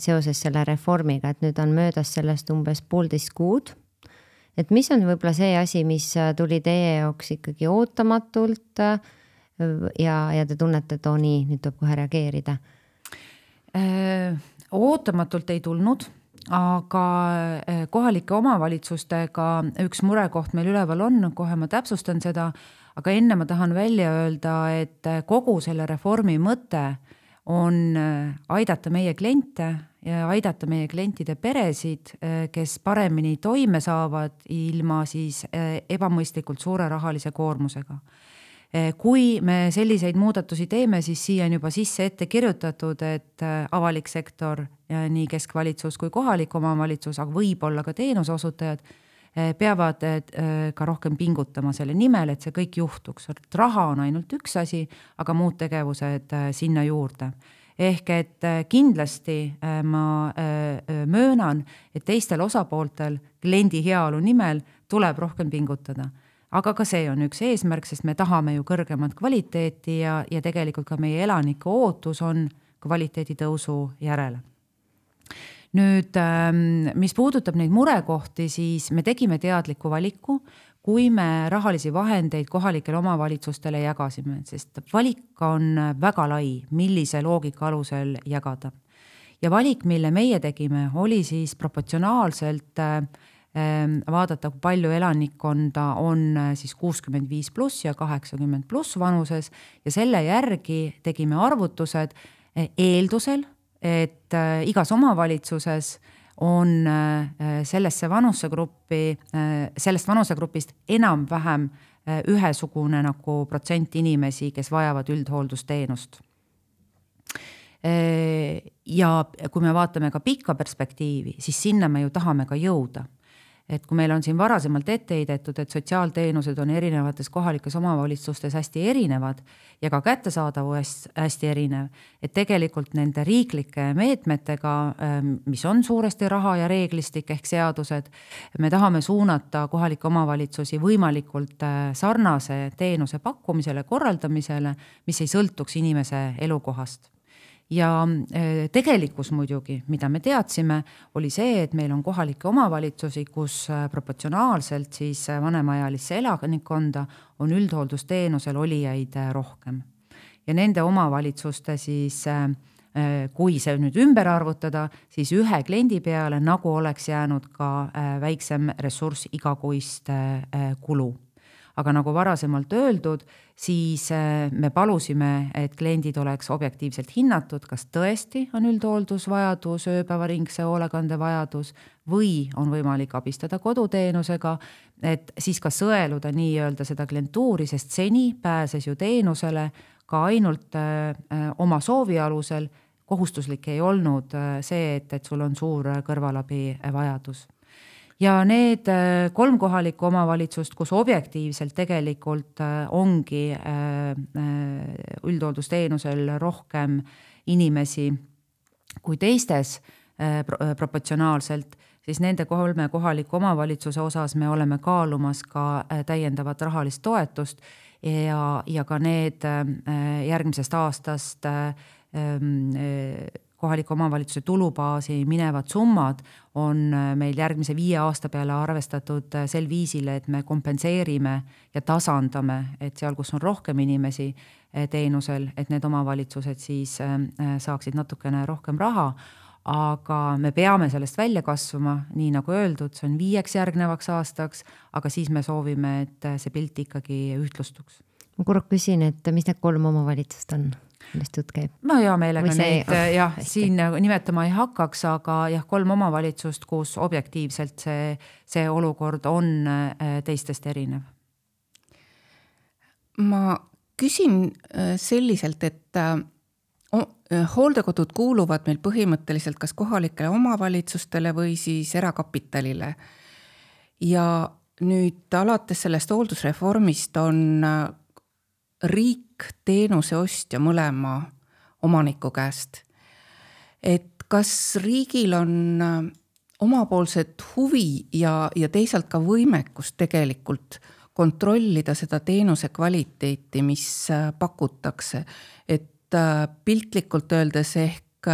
Speaker 2: seoses selle reformiga, et nüüd on möödas sellest umbes 1,5 kuud. Et mis on võib-olla see asi, mis tuli teie jaoks ikkagi ootamatult ja te tunnete, et nii, nüüd tuleb kohe reageerida?
Speaker 3: Ootamatult ei tulnud, aga kohalike omavalitsustega üks murekoht meil üleval on, kohe ma täpsustan seda, aga enne ma tahan välja öelda, et kogu selle reformi mõte on aidata meie kliente ja aidata meie klientide peresid, kes paremini toime saavad ilma siis ebamõistlikult suure rahalise koormusega. Kui me selliseid muudatusi teeme, siis siia on juba sisse ette kirjutatud, et avalik sektor, nii keskvalitsus kui kohalik omavalitsus, aga võib-olla ka teenuseosutajad, peavad ka rohkem pingutama selle nimel, et see kõik juhtuks. Raha on ainult üks asi, aga muud tegevused sinna juurde. Ehk et kindlasti ma möönan, et teistel osapooltel kliendi heaolu nimel tuleb rohkem pingutada. Aga ka see on üks eesmärk, sest me tahame ju kõrgemat kvaliteeti ja tegelikult ka meie elanike ootus on kvaliteedi tõusu järele. Nüüd, mis puudutab neid murekohti, siis me tegime teadliku valiku, kui me rahalisi vahendeid kohalikele omavalitsustele jagasime, sest valik on väga lai, millise loogika alusel jagada. Ja valik, mille meie tegime, oli siis proportsionaalselt vaadata, kui palju elanikkonda on siis 65+ ja 80+ vanuses ja selle järgi tegime arvutused eeldusel, et igas omavalitsuses on sellest vanusegrupist enam-vähem ühesugune nagu protsent inimesi, kes vajavad üldhooldusteenust. Ja kui me vaatame ka pikka perspektiivi, siis sinna me ju tahame ka jõuda. Et kui meil on siin varasemalt ette heidetud, et sotsiaalteenused on erinevates kohalikes omavalitsustes hästi erinevad ja ka kättesaadavus hästi erinev, et tegelikult nende riiklike meetmetega, mis on suuresti raha ja reeglistik ehk seadused, me tahame suunata kohalike omavalitsusi võimalikult sarnase teenuse pakkumisele, korraldamisele, mis ei sõltuks inimese elukohast. Ja tegelikkus muidugi, mida me teadsime, oli see, et meil on kohalikke omavalitsusi, kus proportsionaalselt siis vanemaealisse elanikkonda on üldhooldusteenusel olijaid rohkem. Ja nende omavalitsuste siis, kui see nüüd ümber arvutada, siis ühe kliendi peale nagu oleks jäänud ka väiksem ressurss igakuist kulu. Aga nagu varasemalt öeldud, siis me palusime, et kliendid oleks objektiivselt hinnatud, kas tõesti on üldhooldusvajadus, ööpäevaringse hoolekandevajadus või on võimalik abistada koduteenusega, et siis ka sõeluda nii-öelda seda klientuuri, sest seni pääses ju teenusele ka ainult oma soovi alusel, kohustuslik ei olnud see, et sul on suur kõrvalabi vajadus. Ja need 3 kohalikku omavalitsust, kus objektiivselt tegelikult ongi üldhooldusteenusel rohkem inimesi kui teistes proportsionaalselt, siis nende 3 kohaliku omavalitsuse osas me oleme kaalumas ka täiendavat rahalist toetust ja ka need järgmisest aastast kohaliku omavalitsuse tulubaasi minevad summad on meil järgmise 5 aasta peale arvestatud sel viisil, et me kompenseerime ja tasandame, et seal, kus on rohkem inimesi teenusel, et need omavalitsused siis saaksid natukene rohkem raha, aga me peame sellest välja kasvama, nii nagu öeldud, see on 5 järgnevaks aastaks, aga siis me soovime, et see pilt ikkagi ühtlustuks.
Speaker 2: Ma korra küsin, et mis need 3 omavalitsust on? Millest jutt käib?
Speaker 3: Ma hea meelega neid siin nimetama ei hakkaks, aga 3 omavalitsust, kus objektiivselt see olukord on teistest erinev.
Speaker 1: Ma küsin selliselt, et hooldekodud kuuluvad meil põhimõtteliselt kas kohalikele omavalitsustele või siis erakapitalile. Ja nüüd alates sellest hooldusreformist on riik teenuse ostja mõlema omaniku käest. Et kas riigil on omapoolset huvi ja teisalt ka võimekust tegelikult kontrollida seda teenuse kvaliteeti, mis pakutakse. Et piltlikult öeldes ehk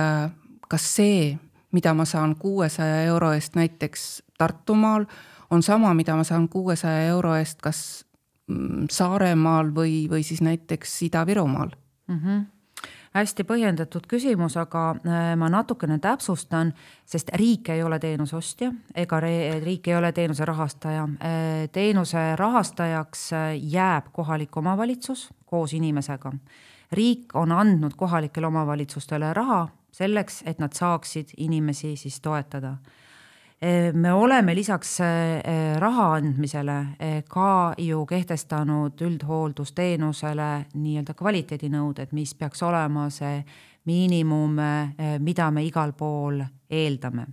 Speaker 1: kas see, mida ma saan 600 € eest näiteks Tartumaal, on sama, mida ma saan 600 € eest kas Saaremaal või siis näiteks Ida-Virumaal?
Speaker 3: Hästi põhjendatud küsimus, aga ma natukene täpsustan, sest riik ei ole teenuse ostja ega riik ei ole teenuse rahastaja. Teenuse rahastajaks jääb kohalik omavalitsus koos inimesega. Riik on andnud kohalikele omavalitsustele raha selleks, et nad saaksid inimesi siis toetada. Me oleme lisaks raha andmisele ka ju kehtestanud üldhooldusteenusele nii-öelda kvaliteedinõuded, mis peaks olema see miinimum, mida me igal pool eeldame.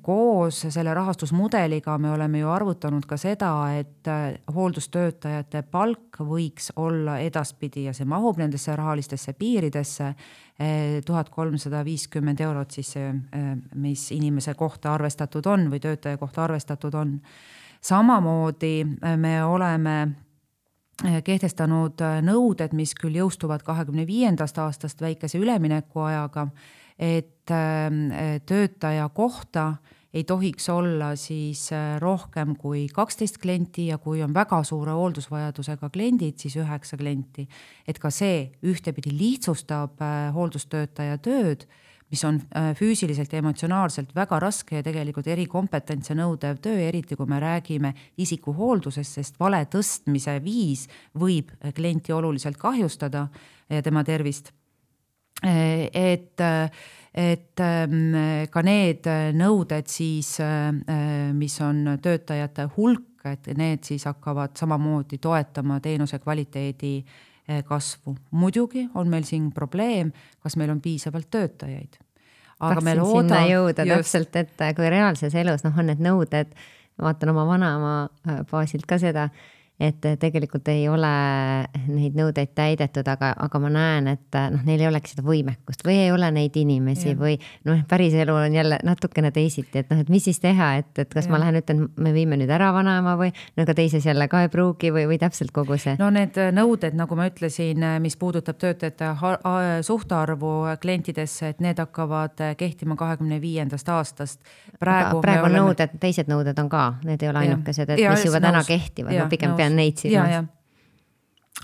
Speaker 3: Koos selle rahastusmudeliga me oleme ju arvutanud ka seda, et hooldustöötajate palk võiks olla edaspidi ja see mahub nendesse rahalistesse piiridesse 1350 eurot siis, mis inimese kohta arvestatud on või töötaja kohta arvestatud on. Samamoodi me oleme kehtestanud nõuded, mis küll jõustuvad 2025. aastast väikese üleminekuajaga, et töötaja kohta ei tohiks olla siis rohkem kui 12 klienti ja kui on väga suure hooldusvajadusega kliendid, siis 9 klienti. Et ka see ühtepidi lihtsustab hooldustöötaja tööd, mis on füüsiliselt ja emotsionaalselt väga raske ja tegelikult erikompetentse nõudev töö, eriti kui me räägime isiku hooldusest, sest vale tõstmise viis võib klienti oluliselt kahjustada ja tema tervist. Et ka need nõuded siis, mis on töötajate hulk, et need siis hakkavad samamoodi toetama teenuse kvaliteedi kasvu. Muidugi on meil siin probleem, kas meil on piisavalt töötajaid.
Speaker 2: Aga meil sinna jõuda täpselt, et kui reaalses elus on need nõuded, vaatan oma vanaema baasilt ka seda, et tegelikult ei ole neid nõudeid täidetud, aga ma näen, et neil ei oleks seda võimekust või ei ole neid inimesi või päris elu on jälle natukene teisiti, et et mis siis teha, et kas ma lähen ütlen, me viime nüüd ära vanaema või aga teises jälle ka ei pruugi või täpselt kogu see?
Speaker 3: No need nõuded, nagu ma ütlesin, mis puudutab töötajate suhtarvu klientidesse, et need hakkavad kehtima 2025. aastast.
Speaker 2: Praegu nõuded, teised nõuded on ka, need ei ole ainukesed, et mis juba täna kehtivad, ma pigem neid silmas.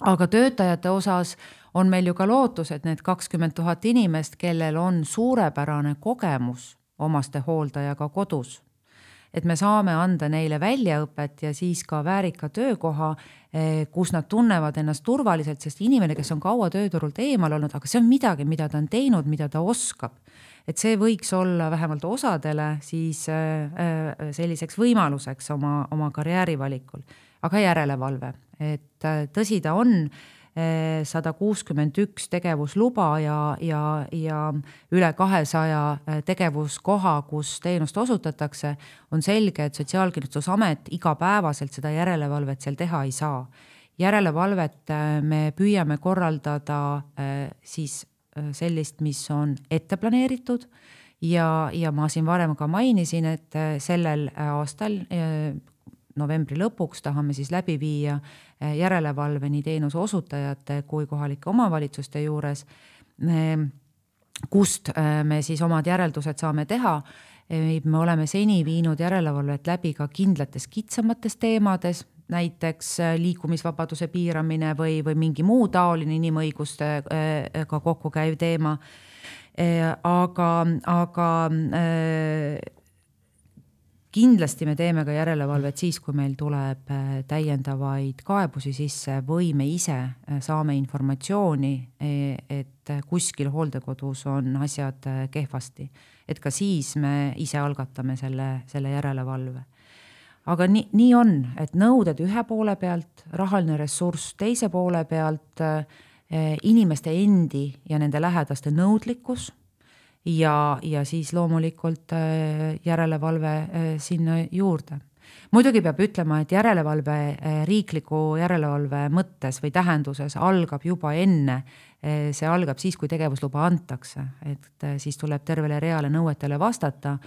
Speaker 3: Aga töötajate osas on meil ju ka lootus, et need 20 000 inimest, kellel on suurepärane kogemus omaste hooldajaga kodus, et me saame anda neile väljaõpet ja siis ka väärika töökoha, kus nad tunnevad ennast turvaliselt, sest inimene, kes on kaua tööturult eemal olnud, aga see on midagi, mida ta on teinud, mida ta oskab. Et see võiks olla vähemalt osadele siis selliseks võimaluseks oma karjäärivalikul. Aga järelevalve, et tõsi ta on 161 tegevusluba ja üle 200 tegevuskoha, kus teenust osutatakse, on selge, et Sotsiaalkindlustusamet igapäevaselt seda järelevalvet seal teha ei saa. Järelevalvet me püüame korraldada siis sellist, mis on ette planeeritud ja ma siin varem ka mainisin, et sellel aastal novembri lõpuks tahame siis läbi viia järelevalve nii teenuse osutajate kui kohalike omavalitsuste juures, kust me siis omad järeldused saame teha. Me oleme seni viinud järelevalvet läbi ka kindlates kitsamates teemades, näiteks liikumisvabaduse piiramine või mingi muu taoline inimõigustega kokku käiv teema. Aga kindlasti me teeme ka järelevalvet siis, kui meil tuleb täiendavaid kaebusi sisse või me ise saame informatsiooni, et kuskil hooldekodus on asjad kehvasti. Et ka siis me ise algatame selle järelevalve. Aga nii on, et nõuded ühe poole pealt, rahaline ressurss teise poole pealt, inimeste endi ja nende lähedaste nõudlikkus ja siis loomulikult järelevalve sinna juurde. Muidugi peab ütlema, et järelevalve riikliku järelevalve mõttes või tähenduses algab juba enne. See algab siis, kui tegevusluba antakse, et siis tuleb tervele reale nõuetele vastata,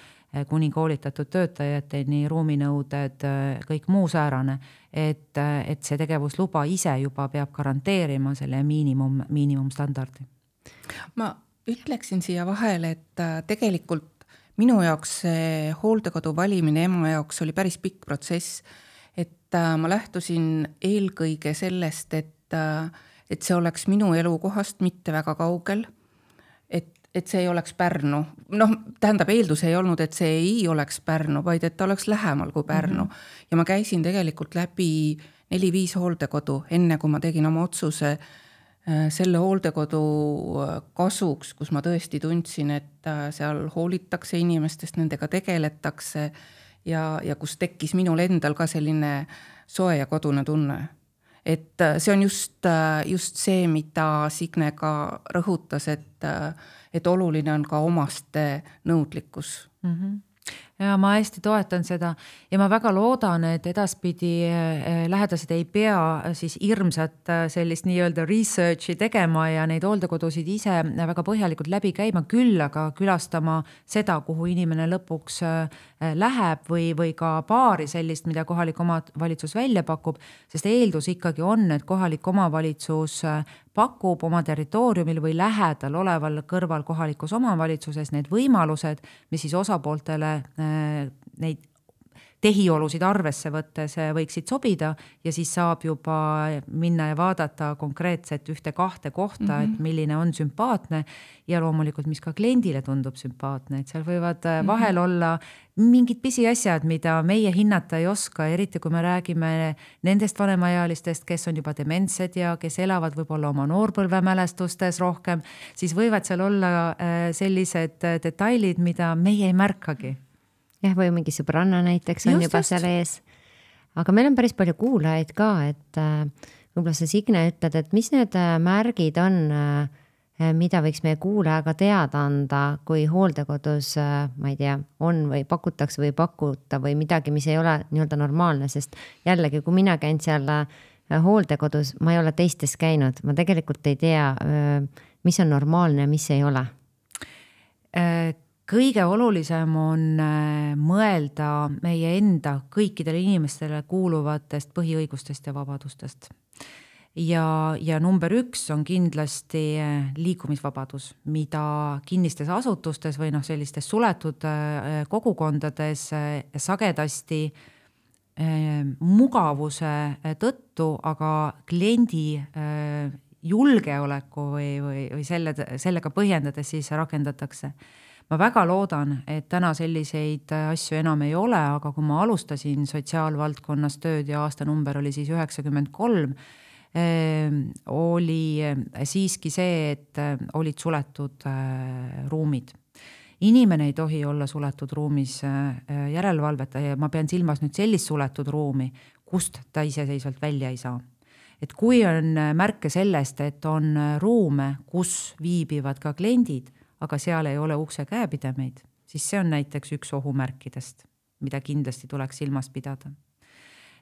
Speaker 3: kuni koolitatud töötajateni, ruuminõuded, kõik muu säärane, et see tegevusluba ise juba peab garanteerima selle miinimumstandardi.
Speaker 1: Ma ütleksin siia vahele, et tegelikult minu jaoks see hooldekodu valimine ema jaoks oli päris pikk protsess, et ma lähtusin eelkõige sellest, et see oleks minu elukohast mitte väga kaugel, et see ei oleks Pärnu. Tähendab, eeldus ei olnud, et see ei oleks Pärnu, vaid et ta oleks lähemal kui Pärnu. Ja ma käisin tegelikult läbi 4-5 hooldekodu, enne kui ma tegin oma otsuse selle hooldekodu kasuks, kus ma tõesti tundsin, et seal hoolitakse inimestest, nendega tegeletakse ja kus tekkis minul endal ka selline soe ja kodune tunne. Et see on just see, mida Signe ka rõhutas, et oluline on ka omaste nõudlikkus.
Speaker 3: Ja ma hästi toetan seda ja ma väga loodan, et edaspidi lähedased ei pea siis hirmsat sellist nii-öelda researchi tegema ja neid hooldekodusid ise väga põhjalikult läbi käima, küll aga külastama seda, kuhu inimene lõpuks läheb või ka paari sellist, mida kohalik omavalitsus välja pakub, sest eeldus ikkagi on, et kohalik omavalitsus pakub oma territooriumil või lähedal oleval kõrval kohalikus omavalitsuses need võimalused, mis siis osapooltele neid tehiolusid arvesse võttes võiksid sobida ja siis saab juba minna ja vaadata konkreetset 1-2 kohta, et milline on sümpaatne ja loomulikult, mis ka kliendile tundub sümpaatne, et seal võivad vahel olla mingid pisiasjad, mida meie hinnata ei oska, eriti kui me räägime nendest vanemaealistest, kes on juba dementsed ja kes elavad võib-olla oma noorpõlvemälestustes rohkem, siis võivad seal olla sellised detailid, mida meie ei märkagi.
Speaker 2: Jah, või mingi sõbranna näiteks on juba seal ees. Aga meil on päris palju kuulajaid ka, et võib-olla sa Signe ütled, et mis need märgid on, mida võiks meie kuulajaga teada anda, kui hooldekodus, ma ei tea, on või pakutakse või pakuta või midagi, mis ei ole nii-öelda normaalne, sest jällegi, kui mina käin seal hooldekodus, ma ei ole teistes käinud, ma tegelikult ei tea, mis on normaalne ja mis ei ole.
Speaker 3: Kõige olulisem on mõelda meie enda kõikidele inimestele kuuluvatest põhiõigustest ja vabadustest. Ja number 1 on kindlasti liikumisvabadus, mida kinnistes asutustes või sellistes suletud kogukondades sagedasti mugavuse tõttu, aga kliendi julgeoleku või sellega põhjendades siis rakendatakse. Ma väga loodan, et täna selliseid asju enam ei ole, aga kui ma alustasin sotsiaalvaldkonnas tööd ja aastanumber oli siis 93, oli siiski see, et olid suletud ruumid. Inimene ei tohi olla suletud ruumis järelevalveta ja ma pean silmas nüüd sellist suletud ruumi, kust ta iseseisvalt välja ei saa. Et kui on märke sellest, et on ruume, kus viibivad ka kliendid, aga seal ei ole ukse käepidemeid, siis see on näiteks üks ohumärkidest, mida kindlasti tuleks silmas pidada.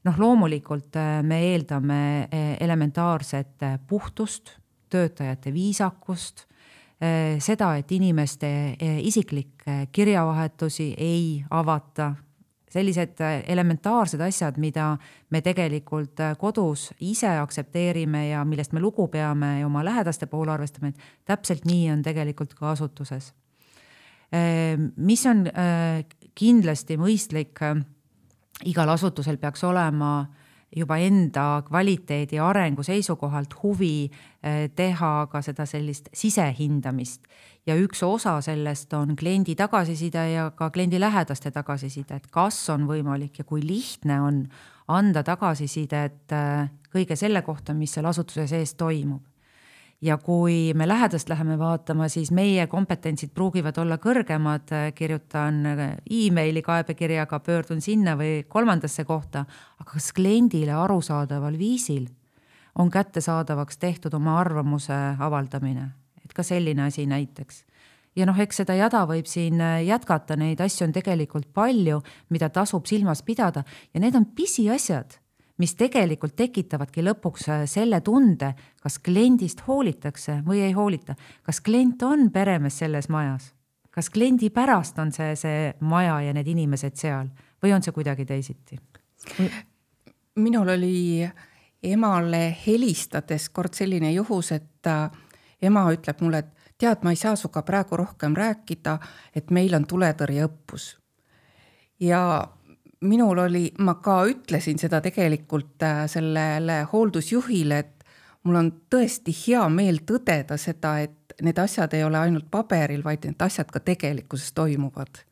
Speaker 3: Loomulikult me eeldame elementaarset puhtust, töötajate viisakust, seda, et inimeste isiklikke kirjavahetusi ei avata, sellised elementaarsed asjad, mida me tegelikult kodus ise aksepteerime ja millest me lugu peame ja oma lähedaste poole arvestame, et täpselt nii on tegelikult ka asutuses. Mis on kindlasti mõistlik, igal asutusel peaks olema juba enda kvaliteedi arengu seisukohalt huvi teha ka seda sellist sisehindamist. Ja üks osa sellest on kliendi tagasiside ja ka kliendi lähedaste tagasiside, et kas on võimalik ja kui lihtne on anda tagasisidet kõige selle kohta, mis seal asutuse sees toimub. Ja kui me lähedast läheme vaatama, siis meie kompetentsid pruugivad olla kõrgemad, kirjutan e-maili kaebekirjaga, pöördun sinna või 3. kohta, aga kas kliendile arusaadaval viisil on kättesaadavaks tehtud oma arvamuse avaldamine, et ka selline asi näiteks. Ja eks seda jada võib siin jätkata, neid asju on tegelikult palju, mida tasub silmas pidada ja need on pisiasjad, mis tegelikult tekitavadki lõpuks selle tunde, kas kliendist hoolitakse või ei hoolita. Kas klient on peremees selles majas? Kas kliendi pärast on see maja ja need inimesed seal või on see kuidagi teisiti?
Speaker 1: Minul oli emale helistades kord selline juhus, et ema ütleb mulle, et tead, ma ei saa suga praegu rohkem rääkida, et meil on tuletõrjeõppus. Ja minul oli, ma ka ütlesin seda tegelikult sellele hooldusjuhile, et mul on tõesti hea meel tõdeda seda, et need asjad ei ole ainult paberil, vaid need asjad ka tegelikkuses toimuvad.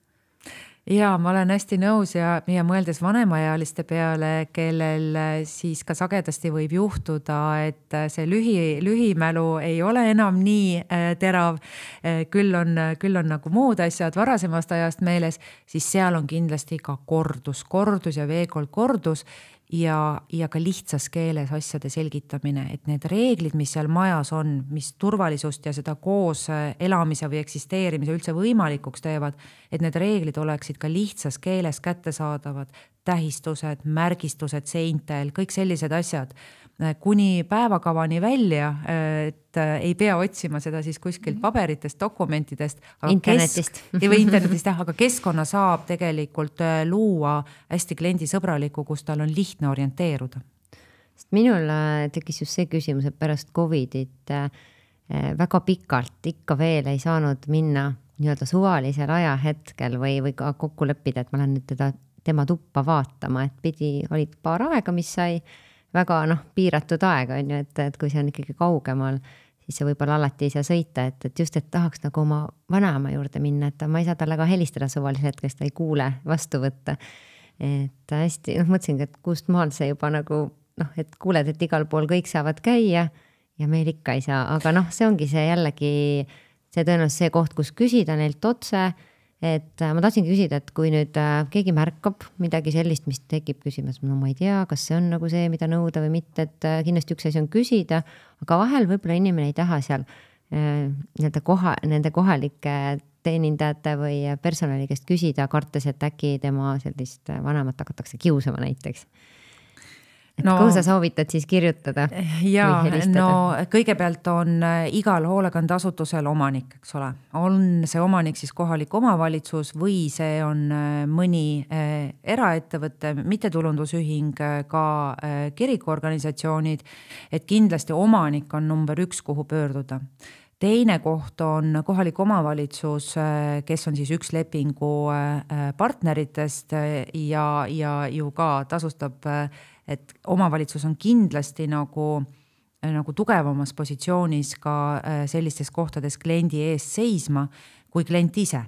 Speaker 4: Ja ma olen hästi nõus ja mõeldes vanemaealiste peale, kellel siis ka sagedasti võib juhtuda, et see lühimälu ei ole enam nii terav, küll on nagu muud asjad varasemast ajast meeles, siis seal on kindlasti ka kordus ja veekord kordus ja ka lihtsas keeles asjade selgitamine, et need reeglid, mis seal majas on, mis turvalisust ja seda koos elamise või eksisteerimise üldse võimalikuks teevad, et need reeglid oleksid ka lihtsas keeles kättesaadavad, tähistused, märgistused seintel, kõik sellised asjad, kuni päevakavani välja, et ei pea otsima seda siis kuskilt paberitest, dokumentidest.
Speaker 2: Internetist.
Speaker 4: Või internetist, aga keskkonna saab tegelikult luua hästi kliendisõbraliku, kus tal on lihtne orienteeruda.
Speaker 2: Minul tekkis just see küsimus, et pärast Covidit väga pikalt ikka veel ei saanud minna nii-öelda suvalisel ajahetkel või ka kokku leppida, et ma lähen nüüd tema tuppa vaatama, et olid paar aega, mis sai väga piiratud aeg on ju, et kui see on ikkagi kaugemal, siis see võib-olla alati ei saa sõita, et just, et tahaks nagu oma vanaema juurde minna, et ma ei saa talle ka helistada suvalisel hetkest, ta ei kuule vastu võtta. Et hästi, mõtlesingi, et kust maal see juba nagu, et kuuled, et igal pool kõik saavad käia ja meil ikka ei saa, aga see ongi see jällegi, see tõenäoliselt see koht, kus küsida neilt otse, et ma tahtsingi küsida, et kui nüüd keegi märkab midagi sellist, mis tekib küsimas, ma ei tea, kas see on nagu see, mida nõuda või mitte, et kindlasti üks asi on küsida, aga vahel võib-olla inimene ei taha seal nende kohalike teenindajate või personali käest küsida, kartes, et äkki tema sellist vanemat hakatakse kiusama näiteks. Kuhu sa soovitad siis kirjutada?
Speaker 4: Ja, kõigepealt on igal hoolekandeasutusel omanik, eks ole. On see omanik siis kohalik omavalitsus või see on mõni eraettevõte, mittetulundusühing, ka kirikuorganisatsioonid, et kindlasti omanik on number 1, kuhu pöörduda. Teine koht on kohalik omavalitsus, kes on siis üks lepingu partneritest ja ju ka tasustab, et omavalitsus on kindlasti nagu tugevamas positsioonis ka sellistes kohtades kliendi eest seisma kui klient ise.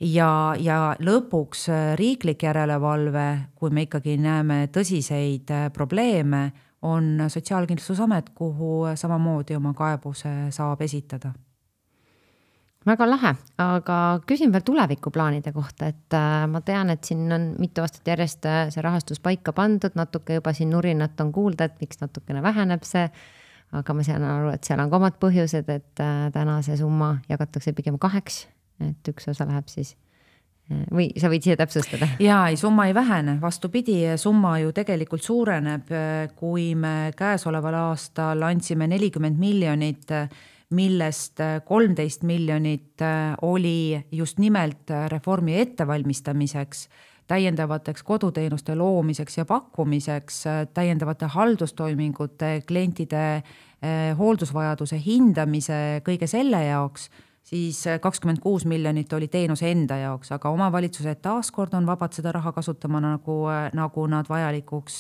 Speaker 4: Ja lõpuks riiklik järelevalve, kui me ikkagi näeme tõsiseid probleeme, on Sotsiaalkindlustusamet, kuhu samamoodi oma kaebuse saab esitada.
Speaker 2: Väga lahe, aga küsin veel tulevikuplaanide kohta, et ma tean, et siin on mitu aastat järjest see rahastus paika pandud, natuke juba siin nurinat on kuulda, et miks natukene väheneb see, aga ma saan aru, et seal on ka omad põhjused, et täna see summa jagatakse pigem 2, et üks osa läheb siis või sa võid siia täpsustada?
Speaker 4: Jaa, summa ei vähene, vastupidi, summa ju tegelikult suureneb, kui me käesoleval aastal andsime 40 miljonit, millest 13 miljonit oli just nimelt reformi ettevalmistamiseks, täiendavateks koduteenuste loomiseks ja pakkumiseks, täiendavate haldustoimingute, klientide hooldusvajaduse hindamise, kõige selle jaoks, siis 26 miljonit oli teenuse enda jaoks, aga omavalitsused taaskord on vabad seda raha kasutama nagu nad vajalikuks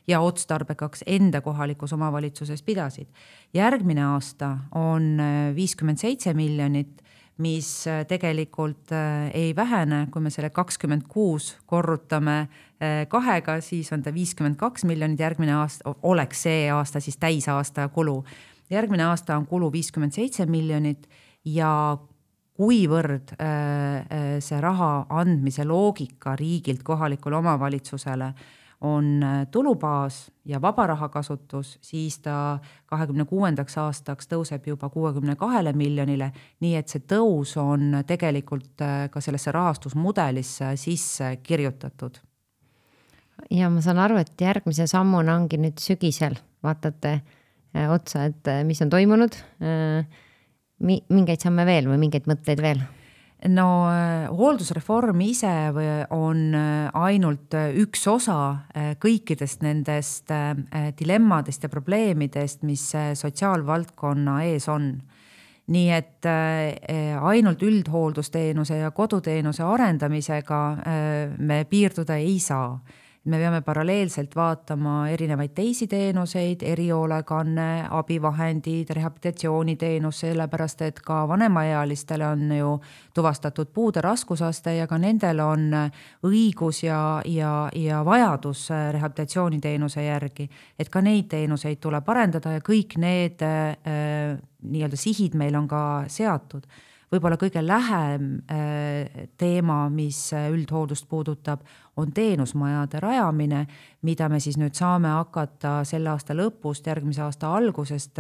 Speaker 4: ja otstarbekaks enda kohalikus omavalitsuses pidasid. Järgmine aasta on 57 miljonit, mis tegelikult ei vähene, kui me selle 26 korrutame 2-ga, siis on ta 52 miljonit, järgmine aasta oleks see aasta siis täisaasta kulu. Järgmine aasta on kulu 57 miljonit ja kuivõrd see raha andmise loogika riigilt kohalikule omavalitsusele on tulubaas ja vaba raha kasutus, siis ta 2026. aastaks tõuseb juba 62 miljonile, nii et see tõus on tegelikult ka sellesse rahastusmudelisse sisse kirjutatud.
Speaker 2: Ja ma saan aru, et järgmise sammuna ongi nüüd sügisel, vaatate otsa, et mis on toimunud, mingeid samme veel või mingeid mõtteid veel?
Speaker 4: No hooldusreform ise on ainult üks osa kõikidest nendest dilemmadest ja probleemidest, mis sotsiaalvaldkonna ees on. nii et ainult üldhooldusteenuse ja koduteenuse arendamisega me piirduda ei saa. Me peame paralleelselt vaatama erinevaid teisi teenuseid, erihoolekanne, abivahendid, rehabilitatsiooniteenus, sellepärast et ka vanemaealistele on ju tuvastatud puude raskusaste ja ka nendel on õigus ja vajadus rehabilitatsiooniteenuse järgi. Et ka neid teenuseid tuleb arendada ja kõik need nii-öelda sihid meil on ka seatud. Võib-olla kõige lähem teema, mis üldhooldust puudutab, on teenusmajade rajamine, mida me siis nüüd saame hakata selle aasta lõpust, järgmise aasta algusest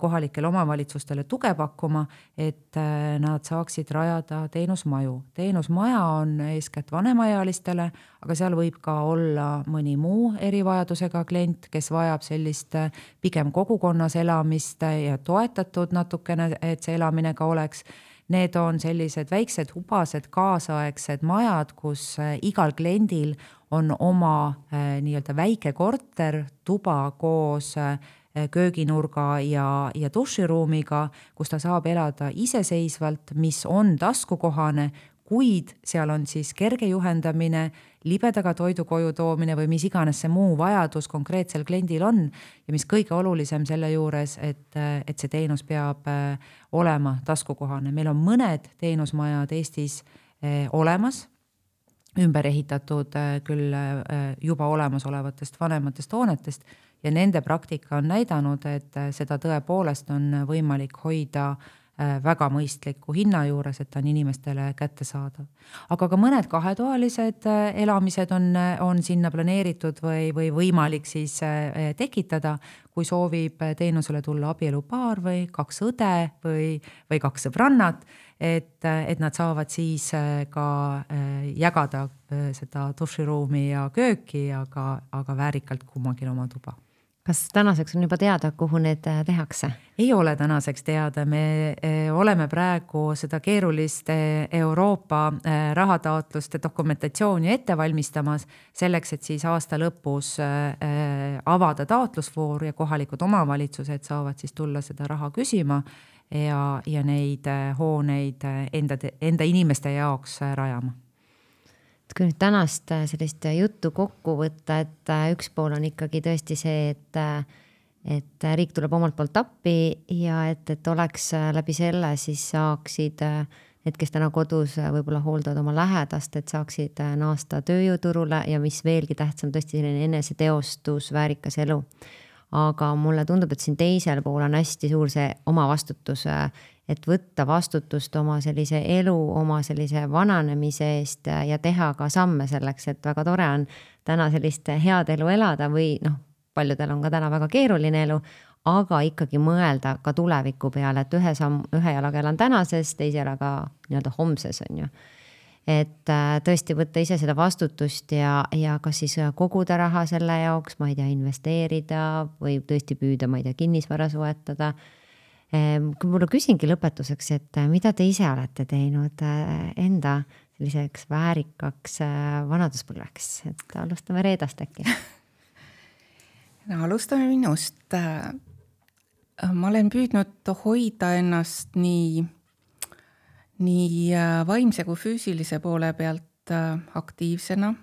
Speaker 4: kohalikele omavalitsustele tuge pakkuma, et nad saaksid rajada teenusmaju. Teenusmaja on eeskätt vanemaealistele, aga seal võib ka olla mõni muu erivajadusega klient, kes vajab sellist pigem kogukonnas elamist ja toetatud natukene, et see elamine ka oleks. Need on sellised väiksed hubased kaasaegsed majad, kus igal kliendil on oma nii-öelda väike korter, tuba koos kööginurga ja duširuumiga, kus ta saab elada iseseisvalt, mis on taskukohane, kuid seal on siis kerge juhendamine, libedaga toidu koju toomine või mis iganes see muu vajadus konkreetsel kliendil on ja mis kõige olulisem selle juures, et see teenus peab olema taskukohane. Meil on mõned teenusmajad Eestis olemas, ümber ehitatud küll juba olemasolevatest vanematest hoonetest ja nende praktika on näidanud, et seda tõepoolest on võimalik hoida väga mõistliku hinna juures, et ta on inimestele kättesaadav. Aga ka mõned kahetoalised elamised on sinna planeeritud või võimalik siis tekitada, kui soovib teenusele tulla abielupaar või 2 õde või 2 sõbrannat, et nad saavad siis ka jagada seda duširuumi ja kööki, aga väärikalt kummagil oma tuba.
Speaker 2: Kas tänaseks on juba teada, kuhu need tehakse?
Speaker 4: Ei ole tänaseks teada. Me oleme praegu seda keerulist Euroopa rahataotluste dokumentatsiooni ette valmistamas selleks, et siis aasta lõpus avada taotlusvoor ja kohalikud omavalitsused saavad siis tulla seda raha küsima ja neid hooneid enda inimeste jaoks rajama.
Speaker 2: Kui nüüd tänast sellist juttu kokku võtta, et üks pool on ikkagi tõesti see, et riik tuleb omalt poolt appi ja et oleks läbi selle siis saaksid need, kes täna kodus võib-olla hooldavad oma lähedast, et saaksid naasta tööjõuturule ja mis veelgi tähtsam, tõesti selline eneseteostus, väärikas elu. Aga mulle tundub, et siin teisel pool on hästi suur see oma vastutus, et võtta vastutust oma sellise elu, oma sellise vananemise eest ja teha ka samme selleks, et väga tore on täna sellist head elu elada või paljudel on ka täna väga keeruline elu, aga ikkagi mõelda ka tuleviku peale, et ühe jalaga elan tänases, teise jalaga nii-öelda homses on ju. Et tõesti võtta ise seda vastutust ja kas siis koguda raha selle jaoks, ma ei tea, investeerida või tõesti püüda, ma ei tea, kinnisvara soetada. Kui mulle küsingi lõpetuseks, et mida te ise olete teinud enda selliseks väärikaks vanaduspõlveks, et alustame Reedast äkki.
Speaker 1: Alustame minust. Ma olen püüdnud hoida ennast nii vaimse kui füüsilise poole pealt aktiivsena.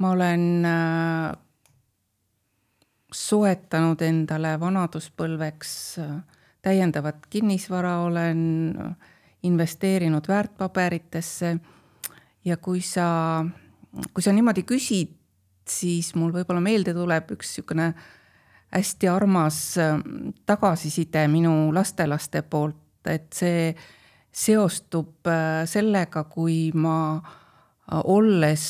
Speaker 1: Ma olen soetanud endale vanaduspõlveks täiendavat kinnisvara, olen investeerinud väärtpaberitesse ja kui sa niimoodi küsid, siis mul võib-olla meelde tuleb üks niisugune hästi armas tagasiside minu lastelaste poolt, et see seostub sellega, kui ma olles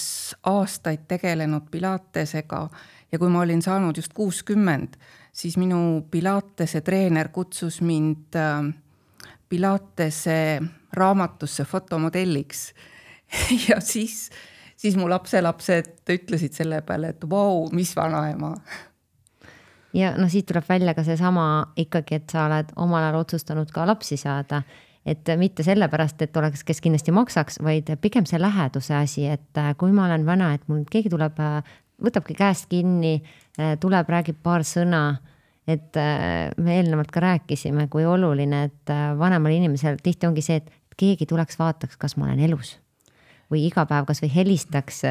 Speaker 1: aastaid tegelenud pilatesega ja kui ma olin saanud just 60, siis minu pilatese treener kutsus mind pilatese raamatusse fotomodelliks. Ja siis mu lapselapsed ütlesid selle peale, et vau, mis vanaema.
Speaker 2: Ja siit tuleb välja ka see sama ikkagi, et sa oled omal ajal otsustanud ka lapsi saada. Et mitte sellepärast, et oleks, kes kindlasti maksaks, vaid pigem see läheduse asi, et kui ma olen vana, et mul keegi tuleb, võtabki käest kinni, tuleb, räägib paar sõna, et me eelnevalt ka rääkisime, kui oluline, et vanemal inimesel tihti ongi see, et keegi tuleks vaataks, kas ma olen elus või iga päev kas või helistaks,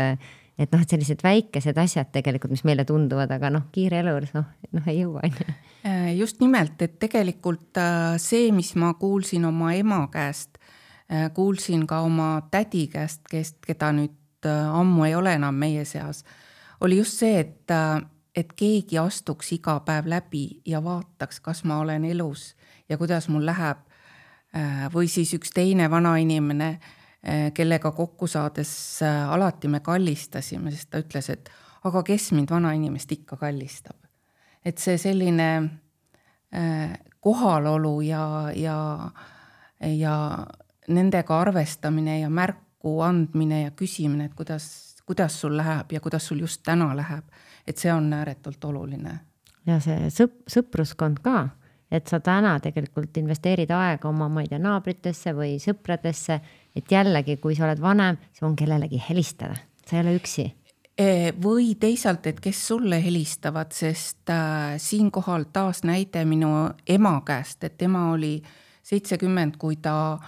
Speaker 2: et noh, et sellised väikesed asjad tegelikult, mis meile tunduvad, aga noh, kiire elu, noh ei jõua.
Speaker 1: Just nimelt, et tegelikult see, mis ma kuulsin oma ema käest, kuulsin ka oma tädi käest, keda nüüd ammu ei ole enam meie seas, oli just see, et keegi astuks iga päev läbi ja vaataks, kas ma olen elus ja kuidas mul läheb. Või siis üks teine vanainimene, kellega kokku saades alati me kallistasime, sest ta ütles, et aga kes mind vanainimest ikka kallistab. Et see selline kohalolu ja nendega arvestamine ja märku andmine ja küsimine, et kuidas sul läheb ja kuidas sul just täna läheb, et see on ääretult oluline.
Speaker 2: Ja see sõpruskond ka, et sa täna tegelikult investeerid aega oma, ma ei tea, naabritesse või sõpradesse, et jällegi, kui sa oled vanem, see on kellelegi helistada, sa ei ole üksi.
Speaker 1: Või teisalt, et kes sulle helistavad, sest siinkohal taas näide minu ema käest, et ema oli 70, kui ta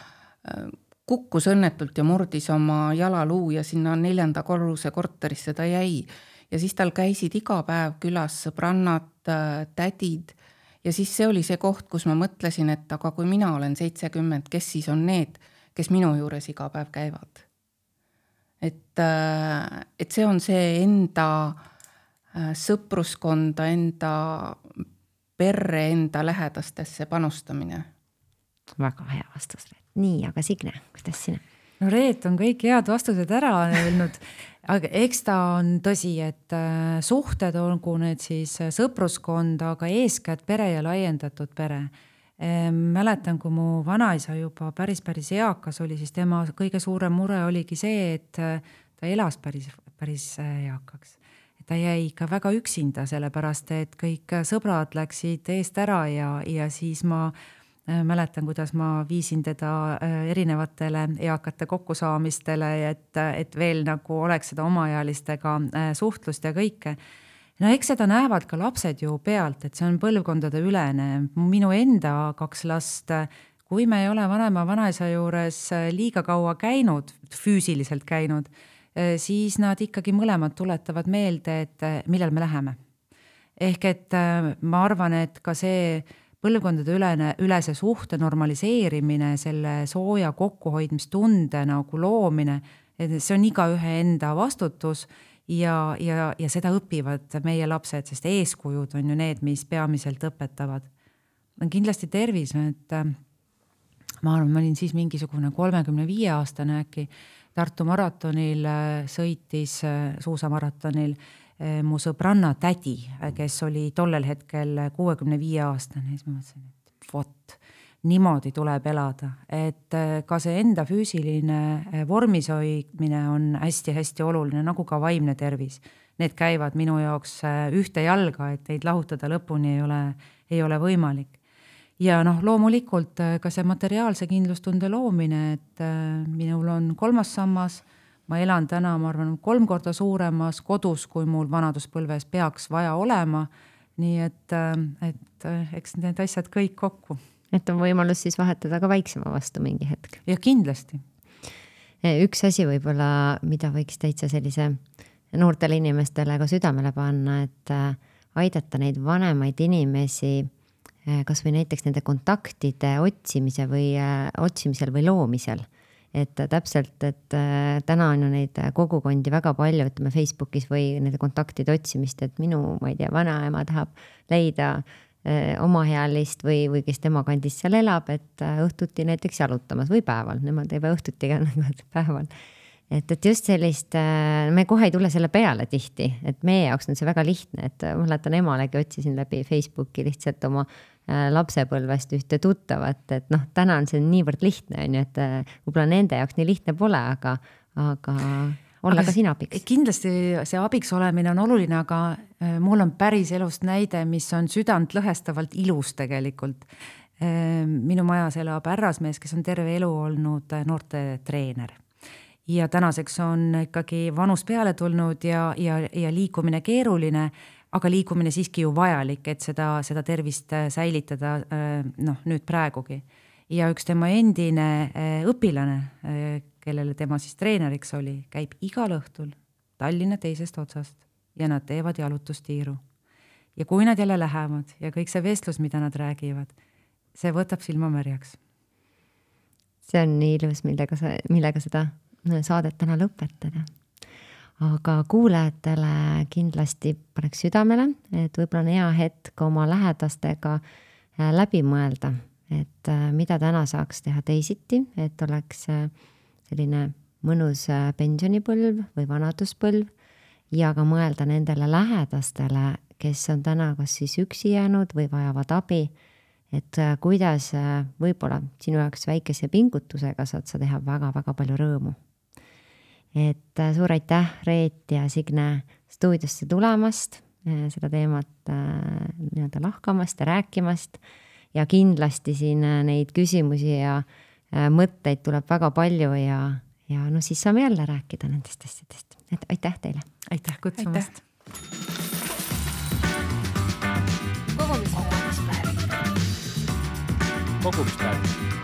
Speaker 1: kukkus õnnetult ja murdis oma jalaluu ja sinna 4. korruse korterisse ta jäi. Ja siis tal käisid iga päev külas sõbrannad, tädid ja siis see oli see koht, kus ma mõtlesin, et aga kui mina olen 70, kes siis on need, kes minu juures iga päev käivad. Et see on see enda sõpruskonda, enda perre, enda lähedastesse panustamine.
Speaker 2: Väga hea vastus. Nii, aga Signe, kuidas sina?
Speaker 4: No Reet on kõik head vastused ära öelnud, aga eks ta on tõsi, et suhted olgu need siis sõpruskond, aga eeskätt pere ja laiendatud pere. Mäletan, kui mu vanaisa juba päris eakas oli, siis tema kõige suurem mure oligi see, et ta elas päris eakaks. Ta jäi ikka väga üksinda, sellepärast, et kõik sõbrad läksid eest ära ja siis ma mäletan, kuidas ma viisin teda erinevatele eakate kokkusaamistele, et veel nagu oleks seda omaealistega suhtlust ja kõike. No eks seda näevad ka lapsed ju pealt, et see on põlvkondade ülene. Minu enda 2 last, kui me ei ole vanaisa juures liiga kaua käinud, füüsiliselt käinud, siis nad ikkagi mõlemad tuletavad meelde, et millal me läheme. Ehk et ma arvan, et ka see põlvkondade ülese suhte normaliseerimine, selle sooja kokkuhoidmistunde nagu loomine, et see on iga ühe enda vastutus ja seda õpivad meie lapsed, sest eeskujud on ju need, mis peamiselt õpetavad. Kindlasti tervis, et ma arvan, ma olin siis mingisugune 35-aastane äkki, Tartu maratonil sõitis, suusamaratonil, mu sõbranna tädi, kes oli tollel hetkel 65-aastane, siis ma mõtlesin, et vot, niimoodi tuleb elada, et ka see enda füüsiline vormis hoidmine on hästi oluline, nagu ka vaimne tervis. Need käivad minu jaoks ühte jalga, et neid lahutada lõpuni ei ole võimalik. Ja loomulikult ka see materiaalse kindlustunde loomine, et minul on 3. sammas, ma elan täna, ma arvan, 3 korda suuremas kodus, kui mul vanaduspõlves peaks vaja olema, nii et eks need asjad kõik kokku.
Speaker 2: Et on võimalus siis vahetada ka väiksema vastu mingi hetk.
Speaker 4: Ja kindlasti.
Speaker 2: Üks asi võib-olla, mida võiks täitsa sellise noortele inimestele ka südamele panna, et aidata neid vanemaid inimesi kas või näiteks nende kontaktide otsimisel või loomisel. Et täpselt, et täna on ju neid kogukondi väga palju, ütleme Facebookis või nende kontaktide otsimist, et minu, ma ei tea, vanaema tahab leida omahealist või kes tema kandis seal elab, et õhtuti näiteks jalutamas või päeval, nemad ei pea õhtuti ka päeval. Et just sellist, me kohe ei tule selle peale tihti, et meie jaoks on see väga lihtne, et mäletan emalegi otsisin läbi Facebooki lihtsalt oma lapsepõlvest ühte tuttavat, et täna on see niivõrd lihtne, et võib-olla nende jaoks nii lihtne pole, aga olla ka sina abiks.
Speaker 4: Kindlasti see abiks olemine on oluline, aga mul on päris elust näide, mis on südant lõhestavalt ilus tegelikult. Minu majas elab härrasmees, kes on terve elu olnud noorte treener. Ja tänaseks on ikkagi vanus peale tulnud ja liikumine keeruline, aga liikumine siiski ju vajalik, et seda tervist säilitada nüüd praegugi. Ja üks tema endine õpilane, kellele tema siis treeneriks oli, käib igal õhtul Tallinna teisest otsast ja nad teevad jalutustiiru. Ja kui nad jälle lähevad ja kõik see vestlus, mida nad räägivad, see võtab silmamärjaks.
Speaker 2: See on nii ilus, millega seda saadet täna lõpetada. Aga kuulajatele kindlasti paneks südamele, et võib-olla on hea hetk oma lähedastega läbi mõelda, et mida täna saaks teha teisiti, et oleks selline mõnus pensionipõlv või vanaduspõlv ja ka mõelda nendele lähedastele, kes on täna kas siis üksi jäänud või vajavad abi, et kuidas võib-olla sinu jaoks väikese pingutusega saad sa teha väga-väga palju rõõmu. Et suur aitäh, Reet ja Signe, stuudiosse tulemast, seda teemat nii-öelda lahkamast ja rääkimast ja kindlasti siin neid küsimusi ja mõtteid tuleb väga palju ja siis saame jälle rääkida nendest asjadest. Et aitäh teile.
Speaker 4: Aitäh kutsumast.
Speaker 5: Kogumispäev.